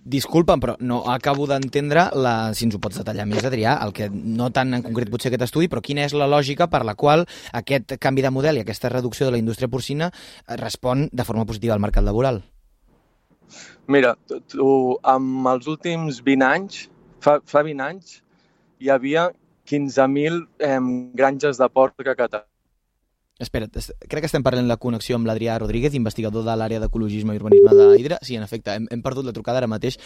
Disculpa'm, però no acabo d'entendre, si ens ho pots detallar més, Adrià, el que no tant en concret potser aquest estudi, però quina és la lògica per la qual aquest canvi de model i aquesta reducció de la indústria porcina respon de forma positiva al mercat laboral? Mira, amb els últims 20 anys, fa 20 anys, hi havia 15.000 granges de porc a Catalunya. Espera't, crec que estem parlant la connexió amb l'Adrià Rodríguez, investigador de l'àrea d'ecologisme i urbanisme d'IDRA. Sí, en efecte, hem perdut la trucada ara mateix.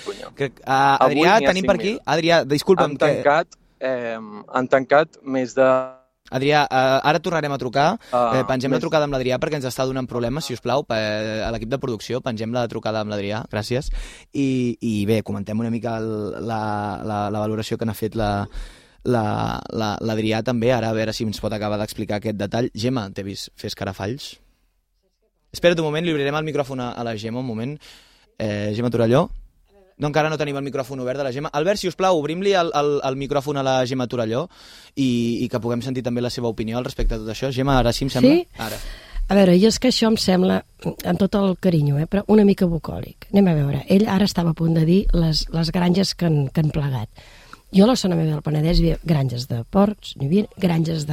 Adrià, tenim per aquí... Adrià, disculpa'm. Han tancat més de Adrià, ara tornarem a trucar. Pengem la trucada amb l'Adrià perquè ens està donant problemes, si us plau, a l'equip de producció. Pengem la trucada amb l'Adrià, gràcies. I bé, comentem una mica la valoració que n'ha fet l'Adrià també, ara a veure si ens pot acabar d'explicar aquest detall. Gemma, t'he vist fer escarafalls? Espera't un moment, li obrirem el micròfon a la Gemma, un moment. Gemma Torelló? No, encara no tenim el micròfon obert de la Gemma. Albert, si us plau, obrim-li el micròfon a la Gemma Torelló i que puguem sentir també la seva opinió al respecte de tot això. Gemma, ara sí em sembla? Sí? Ara. A veure, jo és que això em sembla, amb tot el carinyo, però una mica bucòlic. Anem a veure, ell ara estava a punt de dir les granges que han plegat. Jo a la zona meva del Penedès hi havia granges de porcs, hi havia granges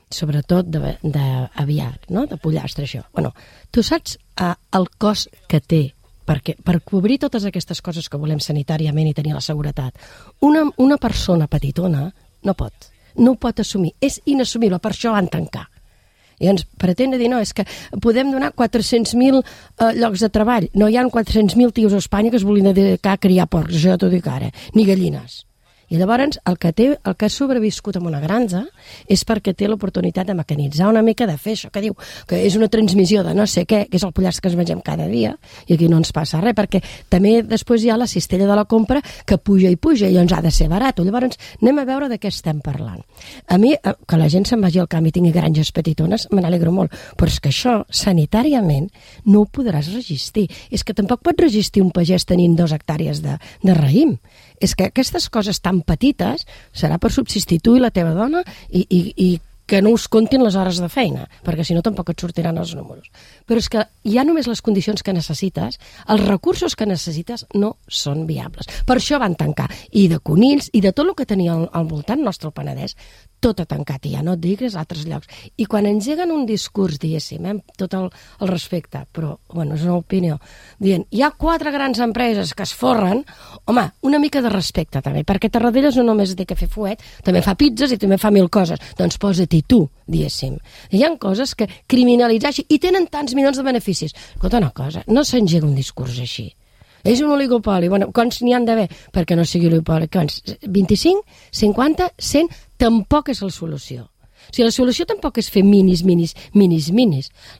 sobretot d'aviar, no? De pollastre, això. Bueno, tu saps el cost que té perquè per cobrir totes aquestes coses que volem sanitàriament i tenir la seguretat, una persona petitona no ho pot assumir, és inassumible, per això van tancar. I ens pretén dir, no, és que podem donar 400.000 llocs de treball. No hi ha 400.000 tios a Espanya que es vulguin dedicar a criar porcs, això t'ho dic ara, ni gallines. I llavors el que ha sobreviscut en una granja és perquè té l'oportunitat de mecanitzar una mica, de fer això que diu, que és una transmissió de no sé què, que és el pollastre que ens mengem cada dia, i aquí no ens passa res, perquè també després hi ha la cistella de la compra que puja i ens ha de ser barat. Llavors anem a veure de què estem parlant. A mi, que la gent se'n vagi al camp i tingui granges petitones, me n'alegro molt, però és que això, sanitàriament, no ho podràs resistir. És que tampoc pot resistir un pagès tenint 2 hectàrees de raïm. És que aquestes coses tan petites serà per subsistir tu i la teva dona i que no us comptin les hores de feina, perquè si no tampoc et sortiran els números. Però és que ja només les condicions que necessites, els recursos que necessites no són viables. Per això van tancar. I de conills i de tot el que tenia al voltant nostre, el Penedès, tot ha tancat, i ja no et digues a altres llocs. I quan engeguen un discurs, diguéssim, amb tot el respecte, però, bueno, és una opinió, dient, hi ha 4 grans empreses que es forren, home, una mica de respecte també, perquè Tarradellas no només té que fer fuet, també fa pizzas i també fa 1000 coses, doncs posa-t'hi tu, diguéssim. Hi ha coses que criminalitzar així, i tenen tants milions de beneficis. Escolta una cosa, no s'engega un discurs així. És un oligopoli. Bueno, quants n'hi han d'haver perquè no sigui oligopoli? 25, 50, 100? Tampoc és la solució. O sigui, la solució tampoc és fer minis.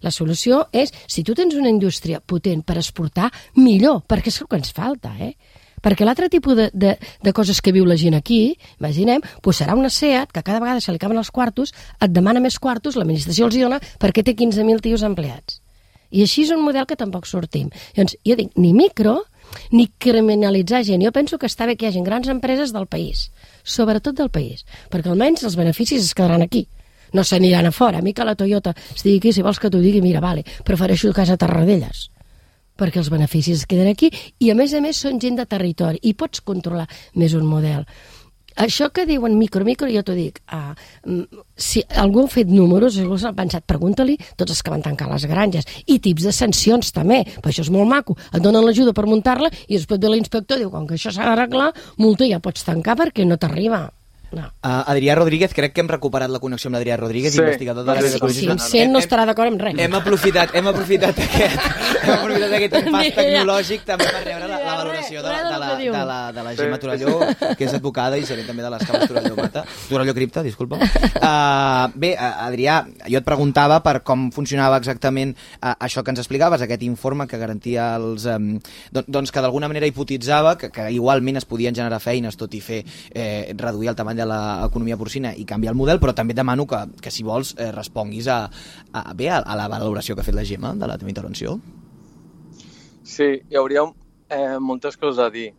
La solució és, si tu tens una indústria potent per exportar, millor, perquè és el que ens falta, Perquè l'altre tipus de coses que viu la gent aquí, imaginem, doncs serà una SEAT que cada vegada se li acaben els quartos, et demana més quartos, l'administració els dona perquè té 15.000 tios empleats. I així és un model que tampoc sortim. Llavors, jo dic, ni micro, ni criminalitzar gent. Jo penso que està bé que hi hagi grans empreses del país, sobretot del país, perquè almenys els beneficis es quedaran aquí. No s'aniran a fora. A mi que la Toyota estigui aquí, si vols que t'ho digui, mira, vale, prefereixo casa Tarradellas, perquè els beneficis es queden aquí i, a més són gent de territori i pots controlar més un model. Això que diuen micro, jo t'ho dic, si algú ha fet números, si algú s'ha pensat, pregunta-li tots els que van tancar les granges, i tips de sancions també, però això és molt maco, et donen l'ajuda per muntar-la i després ve l'inspector i diu, com que això s'ha d'arreglar, multa, ja pots tancar perquè no t'arriba. No. Adrià Rodríguez, crec que hem recuperat la connexió amb l'Adrià Rodríguez, investigador de l'àrea d'ecologisme. Sí, no estarà d'acord amb res. Hem aprofitat aquest pas tecnològic també per rebre la valoració de la Gemma Torelló, que és advocada i gerent també de les cames Torelló Cripta, disculpa. Bé, Adrià, jo et preguntava per com funcionava exactament això que ens explicaves, aquest informe que garantia doncs que d'alguna manera hipotitzava que igualment es podien generar feines, tot i reduir el tamany de l'economia porcina i canviar el model, però també et demano que si vols responguis a la valoració que ha fet la Gemma de la teva intervenció. Sí, hi hauria moltes coses a dir,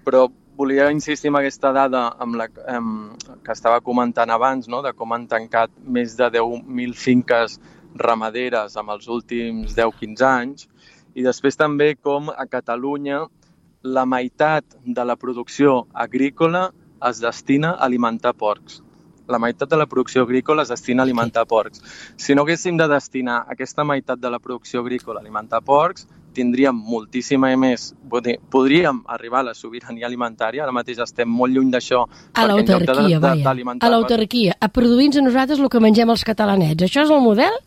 però volia insistir en aquesta dada que estava comentant abans, no? De com han tancat més de 10.000 finques ramaderes en els últims 10-15 anys, i després també com a Catalunya la meitat de la producció agrícola es destina a alimentar porcs. La meitat de la producció agrícola es destina a alimentar porcs. Si no haguéssim de destinar aquesta meitat de la producció agrícola a alimentar porcs, tindríem moltíssima més. Podríem arribar a la sobirania alimentària, ara mateix estem molt lluny d'això. A l'autarquia, vaja. A l'autarquia, a produir-nos a nosaltres el que mengem els catalanets. Això és el model?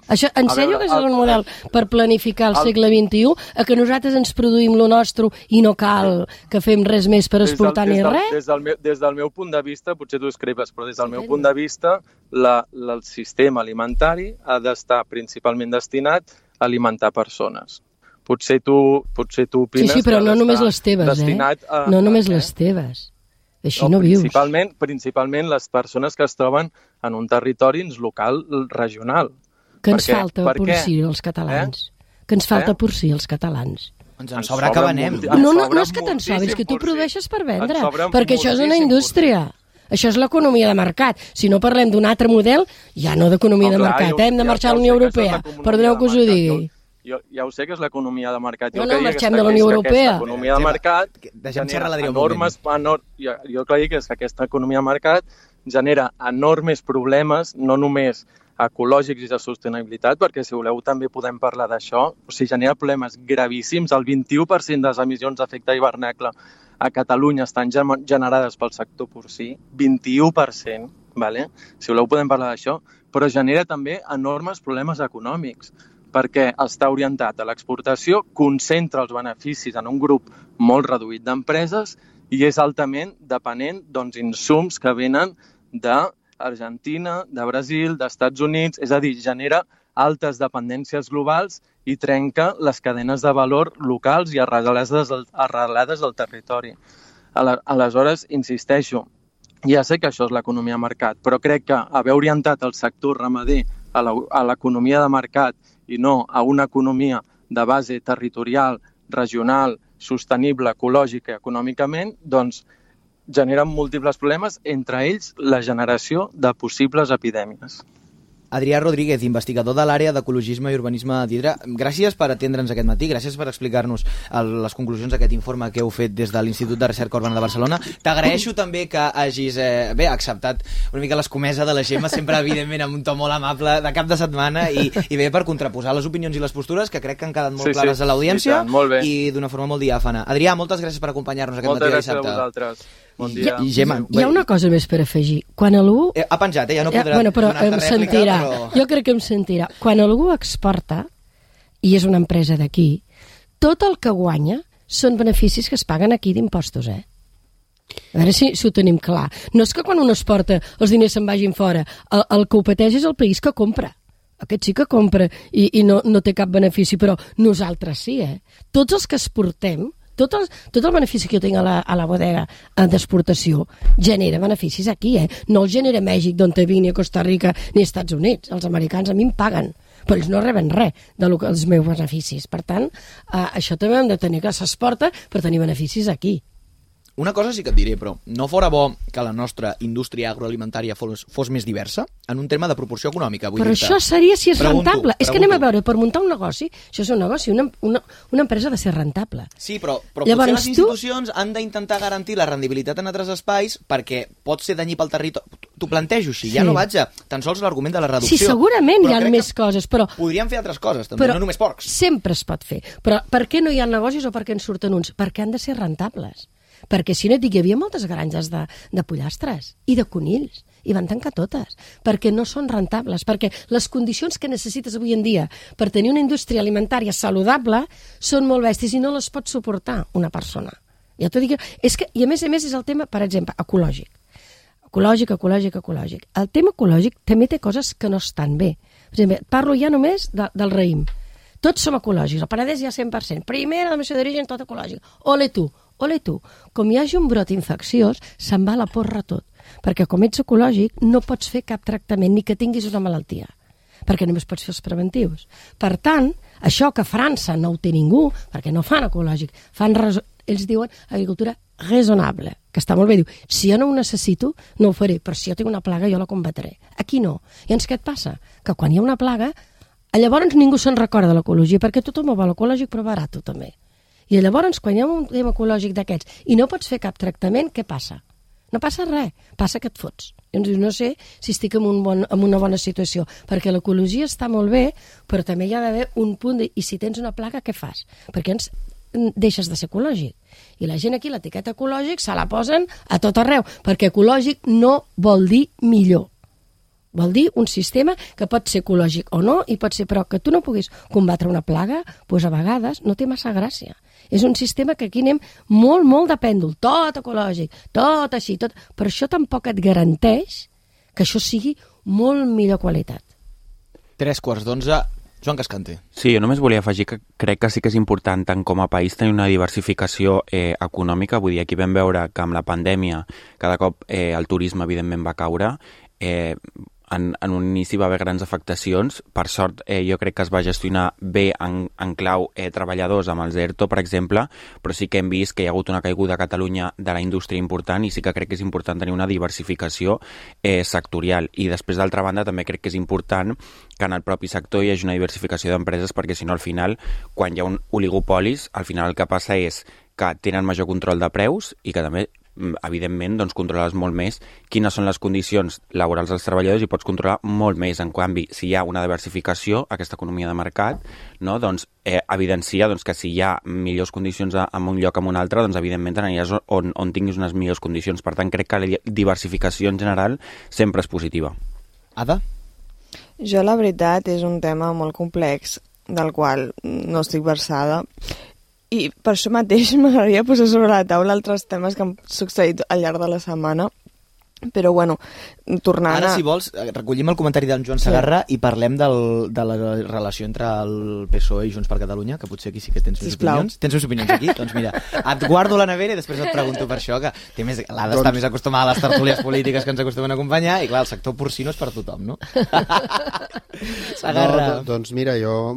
Això, en sèrio que és el model per planificar el segle XXI, a que nosaltres ens produïm lo nostre i no cal que fem res més per exportar ni res? Des del meu punt de vista, potser tu escribes, però des del meu punt de vista, el sistema alimentari ha d'estar principalment destinat a alimentar persones. Potser tu opines... Sí, però no només les teves, no només les teves. Així no vius. Principalment les persones que es troben en un territori local, regional. Que ens falta porcí als catalans. Que ens falta porcí als catalans. Ens en sobra que venem. No és que te'n sobri, és que tu produeixes per vendre. Perquè això és una indústria. Això és l'economia de mercat. Si no parlem d'un altre model, ja no d'economia de mercat. Hem de marxar a la Unió Europea. Perdoneu que us ho digui. Ja ho sé que és l'economia de mercat. No, marxem de la Unió Europea. L'economia de mercat genera enormes... Jo crec que aquesta economia de mercat genera enormes problemes, no només ecològics i de sostenibilitat, perquè si voleu també podem parlar d'això. O sigui, genera problemes gravíssims. El 21% de les emissions d'efecte hivernacle a Catalunya estan generades pel sector porcí, 21%, vale? Si voleu podem parlar d'això, però genera també enormes problemes econòmics, perquè està orientat a l'exportació, concentra els beneficis en un grup molt reduït d'empreses i és altament dependent d'insums que venen d'Argentina, de Brasil, d'Estats Units, és a dir, genera altes dependències globals i trenca les cadenes de valor locals i arrelades al territori. Aleshores, insisteixo, ja sé que això és l'economia de mercat, però crec que haver orientat el sector ramader a l'economia de mercat i no a una economia de base territorial, regional, sostenible, ecològica i econòmicament, doncs generen múltiples problemes, entre ells la generació de possibles epidèmies. Adrià Rodríguez, investigador de l'àrea d'Ecologisme i Urbanisme d'Hidra, gràcies per atendre'ns aquest matí, gràcies per explicar-nos les conclusions d'aquest informe que heu fet des de l'Institut de Recerca Urbana de Barcelona. T'agraeixo també que hagis acceptat una mica l'escomesa de la Gemma, sempre evidentment amb un to molt amable de cap de setmana i bé per contraposar les opinions i les postures que crec que han quedat molt clares a l'audiència i d'una forma molt diàfana. Adrià, moltes gràcies per acompanyar-nos aquest matí de dissabte. Moltes gràcies a vosaltres. Bon dia. Hi ha una cosa més per afegir. Quan algú... Ha penjat, ja no podrà però em sentirà. Jo crec que em sentirà. Quan algú exporta, i és una empresa d'aquí, tot el que guanya són beneficis que es paguen aquí d'impostos, A veure si ho tenim clar. No és que quan un exporta els diners se'n vagin fora. El que ho pateix és el país que compra. Aquest sí que compra i no té cap benefici, però nosaltres sí, Tots els que exportem, tot el benefici que jo tinc a la bodega d'exportació genera beneficis aquí, No el genera Mèxic, d'on te vinc, ni a Costa Rica, ni als Estats Units. Els americans a mi em paguen, però ells no reben res dels meus beneficis. Per tant, això també hem de tenir, que s'exporta per tenir beneficis aquí. Una cosa sí que et diré, però no fora bo que la nostra indústria agroalimentària fos més diversa en un tema de proporció econòmica. Però això seria si és rentable. És que anem a veure, per muntar un negoci, això és un negoci, una empresa ha de ser rentable. Sí, però potser les institucions han d'intentar garantir la rendibilitat en altres espais perquè pot ser danyí pel territori. T'ho plantejo així, ja no vaig a tan sols l'argument de la reducció. Sí, segurament hi ha més coses, però... Podríem fer altres coses, també, no només porcs. Sempre es pot fer. Però per què no hi ha negocis o per què en surten uns? Perquè han de ser rentables. Perquè si no et dic, hi havia moltes granges de pollastres i de conills, i van tancar totes, perquè no són rentables, perquè les condicions que necessites avui en dia per tenir una indústria alimentària saludable són molt bèsties i no les pot suportar una persona. Ja t'ho dic, i a més és el tema, per exemple, ecològic. Ecològic. El tema ecològic també té coses que no estan bé. Per exemple, parlo ja només del raïm. Tots som ecològics, el Penedès ja 100%. Primera denominació d'origen, tot ecològic. Ole tu. Com hi hagi un brot infecciós, se'n va a la porra tot. Perquè com ets ecològic, no pots fer cap tractament ni que tinguis una malaltia. Perquè només pots fer els preventius. Per tant, això que a França no ho té ningú, perquè no fan ecològic, ells diuen agricultura raisonnable, que està molt bé. Diu, si jo no ho necessito, no ho faré, però si jo tinc una plaga, jo la combatré. Aquí no. I llavors què et passa? Que quan hi ha una plaga, llavors ningú se'n recorda de l'ecologia, perquè tothom ho vol ecològic, però barat també. I llavors, quan hi ha un tema ecològic d'aquests i no pots fer cap tractament, què passa? No passa res, passa que et fots. Llavors, no sé si estic en una bona situació, perquè l'ecologia està molt bé, però també hi ha d'haver un punt i si tens una plaga, què fas? Perquè deixes de ser ecològic. I la gent aquí, l'etiqueta ecològic, se la posen a tot arreu, perquè ecològic no vol dir millor. Vol dir un sistema que pot ser ecològic o no, i pot ser, però que tu no puguis combatre una plaga, doncs a vegades no té massa gràcia. És un sistema que aquí anem molt, molt de pèndol, tot ecològic, tot així, tot... Però això tampoc et garanteix que això sigui molt millor qualitat. 11:03, Joan Cascante. Sí, jo només volia afegir que crec que sí que és important tant com a país tenir una diversificació econòmica. Vull dir, aquí vam veure que amb la pandèmia cada cop el turisme evidentment va caure. En un inici va haver grans afectacions. Per sort, jo crec que es va gestionar bé en clau treballadors amb els ERTO, per exemple, però sí que hem vist que hi ha hagut una caiguda a Catalunya de la indústria important i sí que crec que és important tenir una diversificació sectorial. I després, d'altra banda, també crec que és important que en el propi sector hi hagi una diversificació d'empreses, perquè si no, al final, quan hi ha un oligopolis, al final el que passa és que tenen major control de preus i que també evidentment, doncs, controles molt més quines són les condicions laborals dels treballadors i pots controlar molt més. En canvi, si hi ha una diversificació, aquesta economia de mercat, no, doncs, evidencia doncs, que si hi ha millors condicions en un lloc o en un altre, doncs, evidentment, aniràs on tinguis unes millors condicions. Per tant, crec que la diversificació en general sempre és positiva. Ada? Jo, la veritat, és un tema molt complex, del qual no estic versada, i per això mateix m'agradaria posar sobre la taula altres temes que han succeït al llarg de la setmana. Però, bueno, tornant Ara, si vols, recollim el comentari d'en Joan Segarra i parlem de la relació entre el PSOE i Junts per Catalunya, que potser aquí sí que tens més opinions. Tens més opinions aquí? Doncs mira, et guardo la nevera i després et pregunto per això, que l'Ada està més acostumada a les tertúlies polítiques que ens acostumen a acompanyar, i clar, el sector porcino és per tothom, no? Segarra. Doncs mira, jo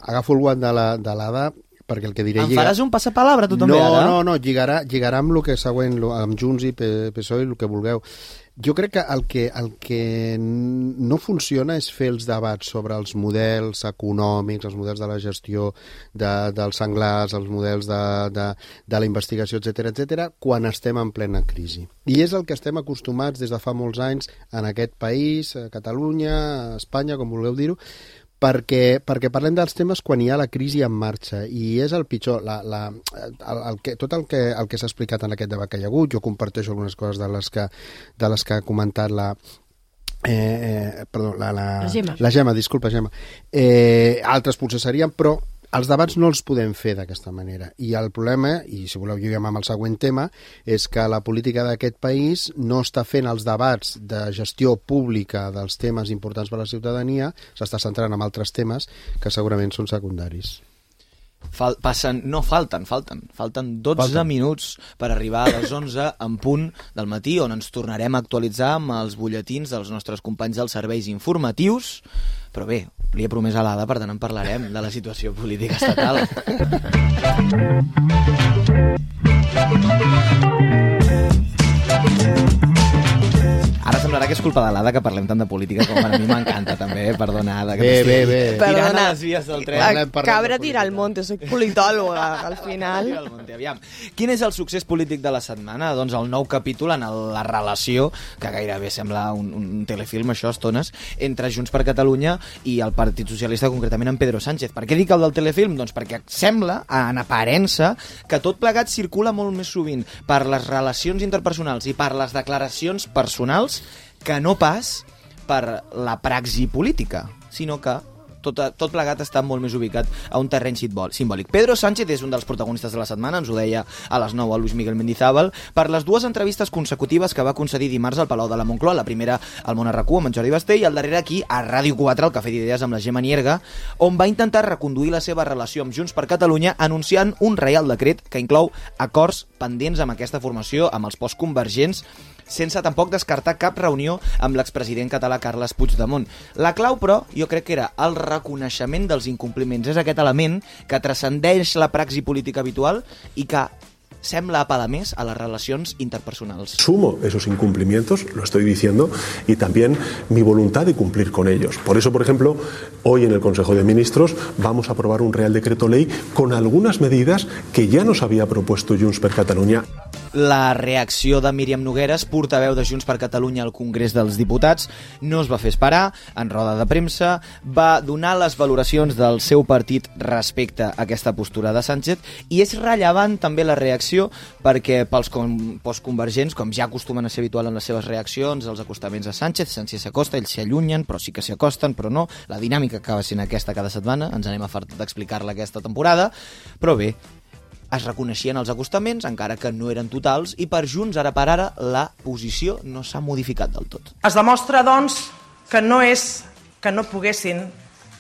agafo el guant de l'Ada, perquè el que diré... Em faràs un passapalabra, tu també, ara? No, lligarà amb el que següent, amb Junts i PSOE, el que vulgueu. Jo crec que el que no funciona és fer els debats sobre els models econòmics, els models de la gestió dels senglars, els models de la investigació, etc, quan estem en plena crisi. I és el que estem acostumats des de fa molts anys en aquest país, a Catalunya, a Espanya, com vulgueu dir-ho, perquè parlem dels temes quan hi ha la crisi en marxa, i és el pitjor. Tot el que s'ha explicat en aquest debat que hi ha hagut, jo comparteixo algunes coses de les que ha comentat la Gemma, disculpa, Gemma. Altres potser serien, però els debats no els podem fer d'aquesta manera. I el problema, i si voleu jo ja amb el següent tema, és que la política d'aquest país no està fent els debats de gestió pública dels temes importants per a la ciutadania, s'està centrant en altres temes que segurament són secundaris. Falten 12 minuts per arribar a les 11 en punt del matí, on ens tornarem a actualitzar amb els butlletins dels nostres companys dels serveis informatius. Però bé, li he promès a l'Ada, per tant en parlarem de la situació política estatal. Ara semblarà que és culpa de l'Ada que parlem tant de política, com a mi m'encanta també, perdona, Ada. Bé. Tirant a les vies del tren. Cabra tira al monte, soc politòloga, al final. Aviam, quin és el succés polític de la setmana? Doncs el nou capítol en la relació, que gairebé sembla un telefilm, això, estones, entre Junts per Catalunya i el Partit Socialista, concretament en Pedro Sánchez. Per què dic el del telefilm? Doncs perquè sembla, en aparença, que tot plegat circula molt més sovint per les relacions interpersonals i per les declaracions personals que no pas per la praxi política, sinó que tot plegat està molt més ubicat a un terreny simbòlic. Pedro Sánchez és un dels protagonistes de la setmana, ens ho deia a les 9 a Luis Miguel Mendizábal, per les dues entrevistes consecutives que va concedir dimarts al Palau de la Moncloa, la primera al Món RQ amb en Jordi Basté i el darrere aquí a Ràdio 4, al Cafè d'Idees amb la Gemma Nierga, on va intentar reconduir la seva relació amb Junts per Catalunya anunciant un reial decret que inclou acords pendents amb aquesta formació, amb els postconvergents, sense tampoc descartar cap reunió amb l'expresident català Carles Puigdemont. La clau, però, jo crec que era el reconeixement dels incompliments. És aquest element que transcendeix la praxi política habitual i que sembla apelar més a las relacions interpersonals. Sumo esos incumplimientos, lo estoy diciendo, y también mi voluntad de cumplir con ellos. Por eso, por ejemplo, hoy en el Consejo de Ministros vamos a aprobar un Real Decreto Ley con algunas medidas que ya nos había propuesto Junts per Catalunya. La reacció de Míriam Nogueres, portaveu de Junts per Catalunya al Congrés dels Diputats, no es va fer esperar. En roda de premsa va donar les valoracions del seu partit respecte a aquesta postura de Sánchez, i és rellevant també la reacció perquè pels postconvergents, com ja acostumen a ser habitual en les seves reaccions, els acostaments a Sánchez s'acosta, ells s'hi allunyen, però sí que s'hi acosten, però no. La dinàmica acaba sent aquesta cada setmana, ens anem a fartar d'explicar-la aquesta temporada, però bé, es reconeixien els acostaments, encara que no eren totals, i per Junts, ara per ara, la posició no s'ha modificat del tot. Es demostra, doncs, que no és que no poguessin,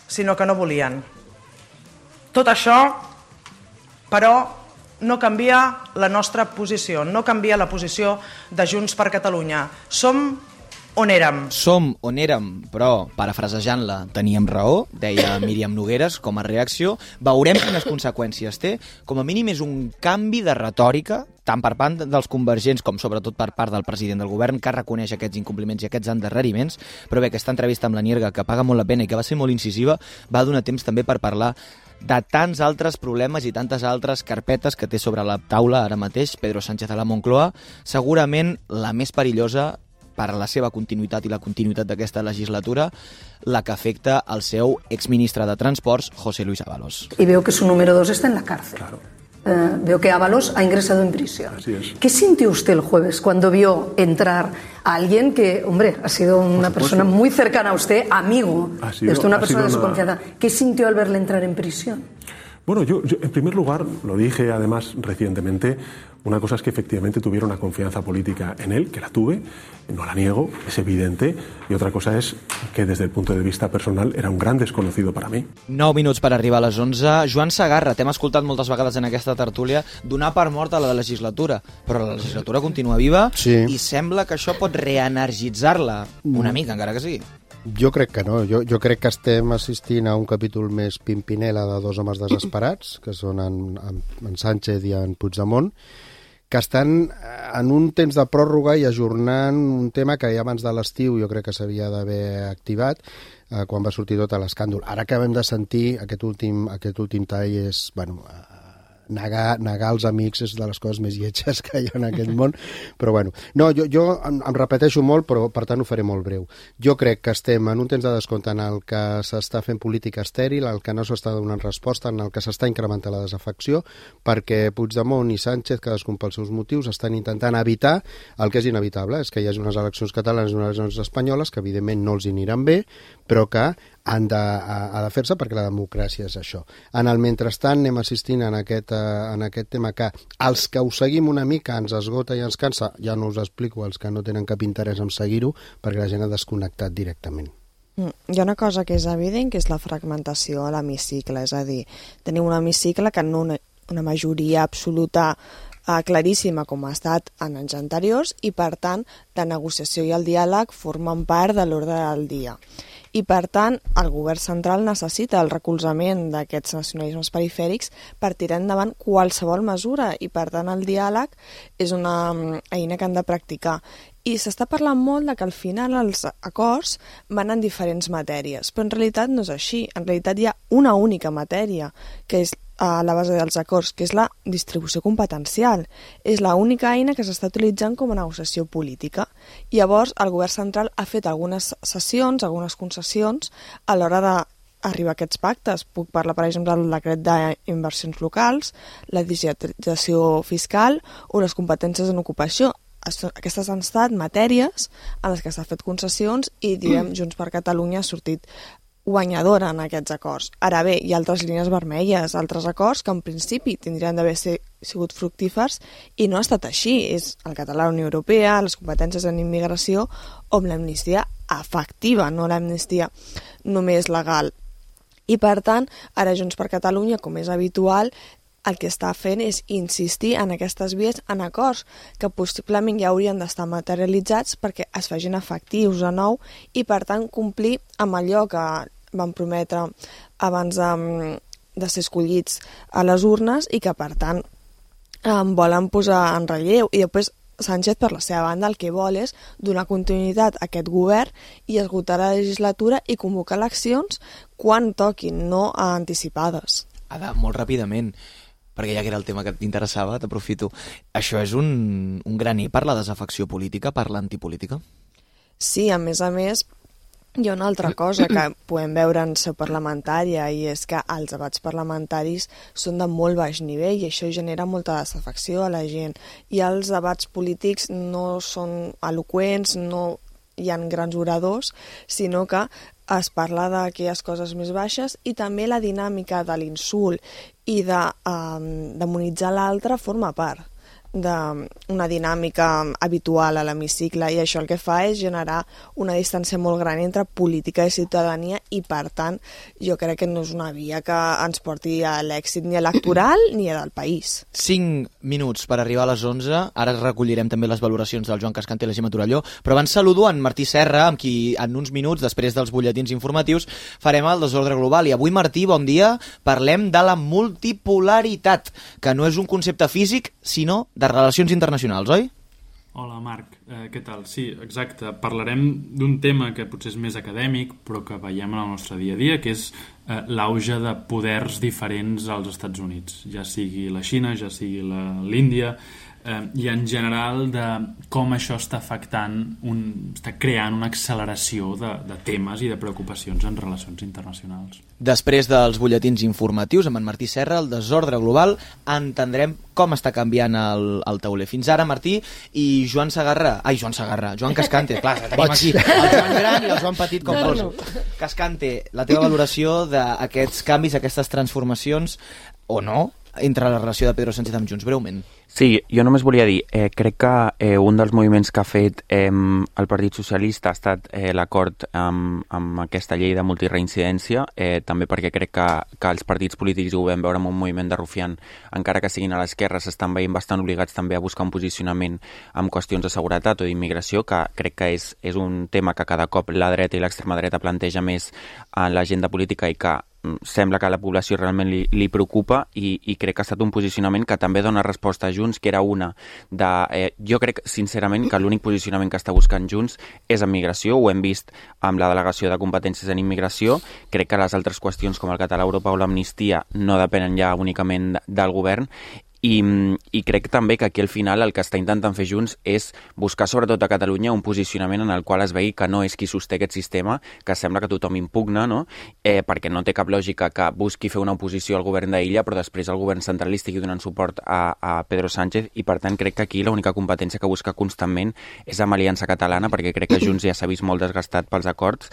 sinó que no volien. Tot això, però, no canvia la nostra posició, no canvia la posició de Junts per Catalunya. Som on érem. Som on érem, però, parafrasejant-la, teníem raó, deia Míriam Nogueres com a reacció. Veurem quines conseqüències té. Com a mínim és un canvi de retòrica, tant per part dels convergents com sobretot per part del president del govern, que reconeix aquests incompliments i aquests endarreriments. Però bé, aquesta entrevista amb la Nierga, que paga molt la pena i que va ser molt incisiva, va donar temps també per parlar de tants altres problemes i tantes altres carpetes que té sobre la taula ara mateix Pedro Sánchez a la Moncloa, segurament la més perillosa per a la seva continuïtat i la continuïtat d'aquesta legislatura, la que afecta al seu exministre de Transports, José Luis Ábalos. Y veo que su número 2 está en la cárcel. Claro. Veo que Ábalos ha ingresado en prisión. Así es. ¿Qué sintió usted el jueves cuando vio entrar a alguien que, hombre, ha sido una persona muy cercana a usted, amigo, una persona de su confianza? ¿Qué sintió al verle entrar en prisión? Bueno, yo en primer lugar, lo dije además recientemente, una cosa es que efectivamente tuviera una confianza política en él, que la tuve, no la niego, es evidente, y otra cosa es que desde el punto de vista personal era un gran desconocido para mi. 9 minuts per arribar a les 11. Joan Segarra, t'hem escoltat moltes vegades en aquesta tertúlia donar per morta la legislatura, però la legislatura continua viva, sí, i sembla que això pot reenergitzar-la una mica, encara que sigui. Jo crec que no. Jo crec que estem assistint a un capítol més Pimpinela de dos homes desesperats, que són en Sánchez i en Puigdemont, que estan en un temps de pròrroga i ajornant un tema que ja abans de l'estiu jo crec que s'havia d'haver activat, quan va sortir tot l'escàndol. Ara acabem de sentir aquest últim tall és, bueno, negar els amics és de les coses més lletges que hi ha en aquest món, però bueno. No, jo em repeteixo molt, però per tant ho faré molt breu. Jo crec que estem en un temps de descompte en el que s'està fent política estèril, en el que no s'està donant resposta, en el que s'està incrementant la desafecció, perquè Puigdemont i Sánchez, cadascun pels seus motius, estan intentant evitar el que és inevitable, és que hi hagi unes eleccions catalanes i unes eleccions espanyoles que evidentment no els hi aniran bé, però que ha de fer-se perquè la democràcia és això. En el mentrestant anem assistint en aquest tema que els que ho seguim una mica ens esgota i ens cansa, ja no us explico els que no tenen cap interès en seguir-ho perquè la gent ha desconnectat directament. Hi ha una cosa que és evident, que és la fragmentació a l'hemicicle, és a dir, tenim un hemicicle que no una majoria absoluta claríssima com ha estat en anys anteriors i per tant la negociació i el diàleg formen part de l'ordre del dia. I, per tant, el govern central necessita el recolzament d'aquests nacionalismes perifèrics per tirar endavant qualsevol mesura i, per tant, el diàleg és una eina que han de practicar. I s'està parlant molt de que al final els acords van en diferents matèries, però en realitat no és així. En realitat hi ha una única matèria, que és a la base dels acords, que és la distribució competencial. És l'única eina que s'està utilitzant com a negociació política. I llavors el govern central ha fet algunes cessions, algunes concessions a l'hora d'arribar a aquests pactes. Puc parlar, per exemple, del decret d'inversions locals, la digitalització fiscal o les competències en ocupació. Aquestes han estat matèries en les que s'ha fet concessions i, diguem, Junts per Catalunya ha sortit guanyadora en aquests acords. Ara bé, hi ha altres línies vermelles, altres acords que en principi tindrien d'haver sigut fructífers i no ha estat així. És el català a la Unió Europea, les competències en immigració o amb l'amnistia efectiva, no l'amnistia només legal. I per tant, ara Junts per Catalunya, com és habitual, el que està fent és insistir en aquestes vies, en acords que possiblement ja haurien d'estar materialitzats perquè es facin efectius de nou i, per tant, complir amb allò que van prometre abans de ser escollits a les urnes i que, per tant, volen posar en relleu. I després Sánchez, per la seva banda, el que vol és donar continuïtat a aquest govern i esgotar la legislatura i convocar eleccions quan toquin, no anticipades. Ada, molt ràpidament. perquè ja que era el tema que t'interessava, t'aprofito. Això és un graner per la desafecció política, per l'antipolítica? Sí, a més, hi ha una altra cosa que podem veure en seu parlamentària i és que els debats parlamentaris són de molt baix nivell i això genera molta desafecció a la gent. I els debats polítics no són eloqüents, no hi ha grans oradors, sinó que es parla d'aquelles coses més baixes i també la dinàmica de l'insult i de demonitzar l'altre forma part d'una dinàmica habitual a l'hemicicle i això el que fa és generar una distància molt gran entre política i ciutadania i per tant jo crec que no és una via que ens porti a l'èxit ni electoral ni del país. 5 minuts per arribar a les 11, ara recollirem també les valoracions del Joan Cascante i la Gemma Torelló, però abans saludo en Martí Serra, amb qui en uns minuts, després dels butlletins informatius, farem el desordre global. I avui, Martí, bon dia, parlem de la multipolaritat, que no és un concepte físic, sinó de relacions internacionals, oi? Hola, Marc. Què tal? Sí, exacte. Parlarem d'un tema que potser és més acadèmic, però que veiem en el nostre dia a dia, que és l'auge de poders diferents als Estats Units, ja sigui la Xina, ja sigui l'Índia, i en general de com això està afectant, està creant una acceleració de temes i de preocupacions en relacions internacionals. Després dels butlletins informatius amb en Martí Serra, el desordre global, entendrem com està canviant el tauler. Fins ara, Martí, i Joan Cascante, clar, tenim aquí el Joan Gran i el Joan Petit com vols. Cascante, la teva valoració d'aquests canvis, aquestes transformacions, o no, entre la relació de Pedro Sánchez amb Junts, breument. Sí, jo només volia dir, crec que un dels moviments que ha fet el Partit Socialista ha estat l'acord amb aquesta llei de multireincidència, també perquè crec que els partits polítics, ho vam veure amb un moviment de rufián, encara que siguin a l'esquerra, s'estan veient bastant obligats també a buscar un posicionament amb qüestions de seguretat o d'immigració, que crec que és un tema que cada cop la dreta i l'extrema dreta planteja més en l'agenda política i que sembla que a la població realment li preocupa i crec que ha estat un posicionament que també dona resposta a Junts, que era una de... jo crec, sincerament, que l'únic posicionament que està buscant Junts és en migració, ho hem vist amb la delegació de competències en immigració, crec que les altres qüestions com el català a Europa o l'amnistia no depenen ja únicament del govern, i crec també que aquí al final el que està intentant fer Junts és buscar sobretot a Catalunya un posicionament en el qual es vegi que no és qui sosté aquest sistema, que sembla que tothom impugna, no? Perquè no té cap lògica que busqui fer una oposició al govern d'Illa però després el govern central li estigui donant suport a Pedro Sánchez i per tant crec que aquí l'única competència que busca constantment és amb Aliança Catalana perquè crec que Junts ja s'ha vist molt desgastat pels acords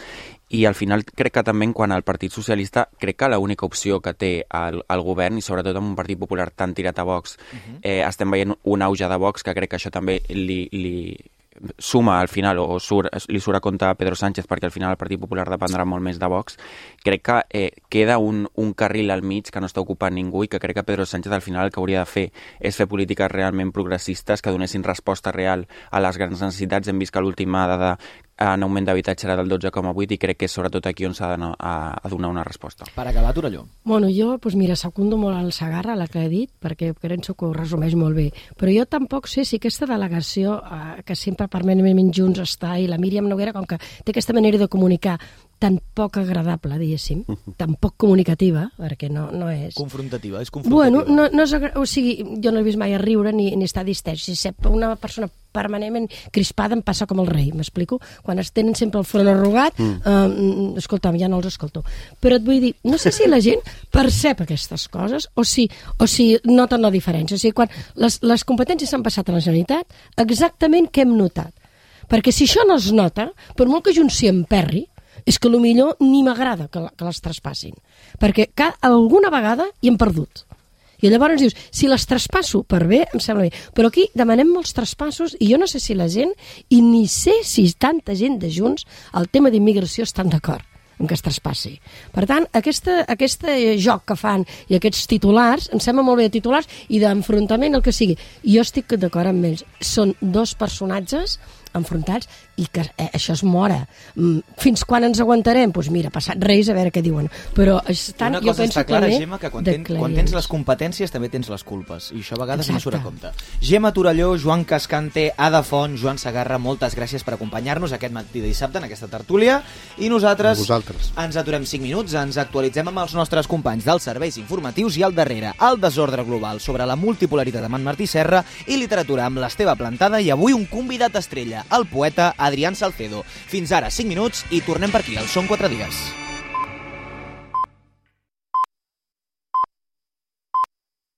i al final crec que també quan el Partit Socialista crec que l'única opció que té el govern i sobretot amb un Partit Popular tan tirat a Vox estem veient un auge de Vox que crec que això també li suma al final o li surt a compte a Pedro Sánchez perquè al final el Partit Popular dependrà molt més de Vox. Crec que queda un carril al mig que no està ocupant ningú i que crec que Pedro Sánchez al final el que hauria de fer és fer polítiques realment progressistes que donessin resposta real a les grans necessitats. Hem vist que l'última dada en augment d'habitatge era del 12,8 i crec que és sobretot aquí on s'ha de donar una resposta. Per acabar, Torelló. Bueno, jo, doncs mira, secundo molt el Segarra, la que he dit, perquè penso que ho resumeix molt bé. Però jo tampoc sé si aquesta delegació que sempre permanentment Junts està i la Míriam Noguera, com que té aquesta manera de comunicar tan poc agradable, diguéssim, tan poc comunicativa, perquè no és... Confrontativa, és confrontativa. Bueno, no és o sigui, jo no he vist mai a riure ni estar distès. Si una persona permanentment crispada em passa com el rei, m'explico? Quan es tenen sempre el front arrugat, escolta'm, ja no els escolto. Però et vull dir, no sé si la gent percep aquestes coses o si noten la diferència. O sigui, quan les competències s'han passat a la Generalitat, exactament què hem notat? Perquè si això no es nota, per molt que Junts s'hi emperri, és que millor ni m'agrada que les traspassin. Perquè alguna vegada hi hem perdut. I llavors dius, si les traspasso per bé, em sembla bé. Però aquí demanem molts traspassos i jo no sé si la gent, i ni sé si tanta gent de Junts, el tema d'immigració estan d'acord en que es traspassi. Per tant, aquest joc que fan i aquests titulars, em sembla molt bé de titulars i d'enfrontament, el que sigui. Jo estic d'acord amb ells. Són dos personatges enfrontats i que això es mora. Fins quan ens aguantarem? Doncs mira, passat Reis, a veure què diuen. Però estan, una cosa està clara, Gemma, que quan tens les competències també tens les culpes, i això a vegades no surt a compte. Gemma Torelló, Joan Cascante, Ada Font, Joan Segarra, moltes gràcies per acompanyar-nos aquest matí de dissabte en aquesta tertúlia, i nosaltres ens aturem 5 minuts, ens actualitzem amb els nostres companys dels serveis informatius i al darrere el desordre global sobre la multipolaritat amb en Martí Serra i literatura amb l'Esteve Plantada, i avui un convidat estrella, el poeta Adrián Salcedo. Fins ara 5 minuts i tornem per aquí, al Són 4 dies.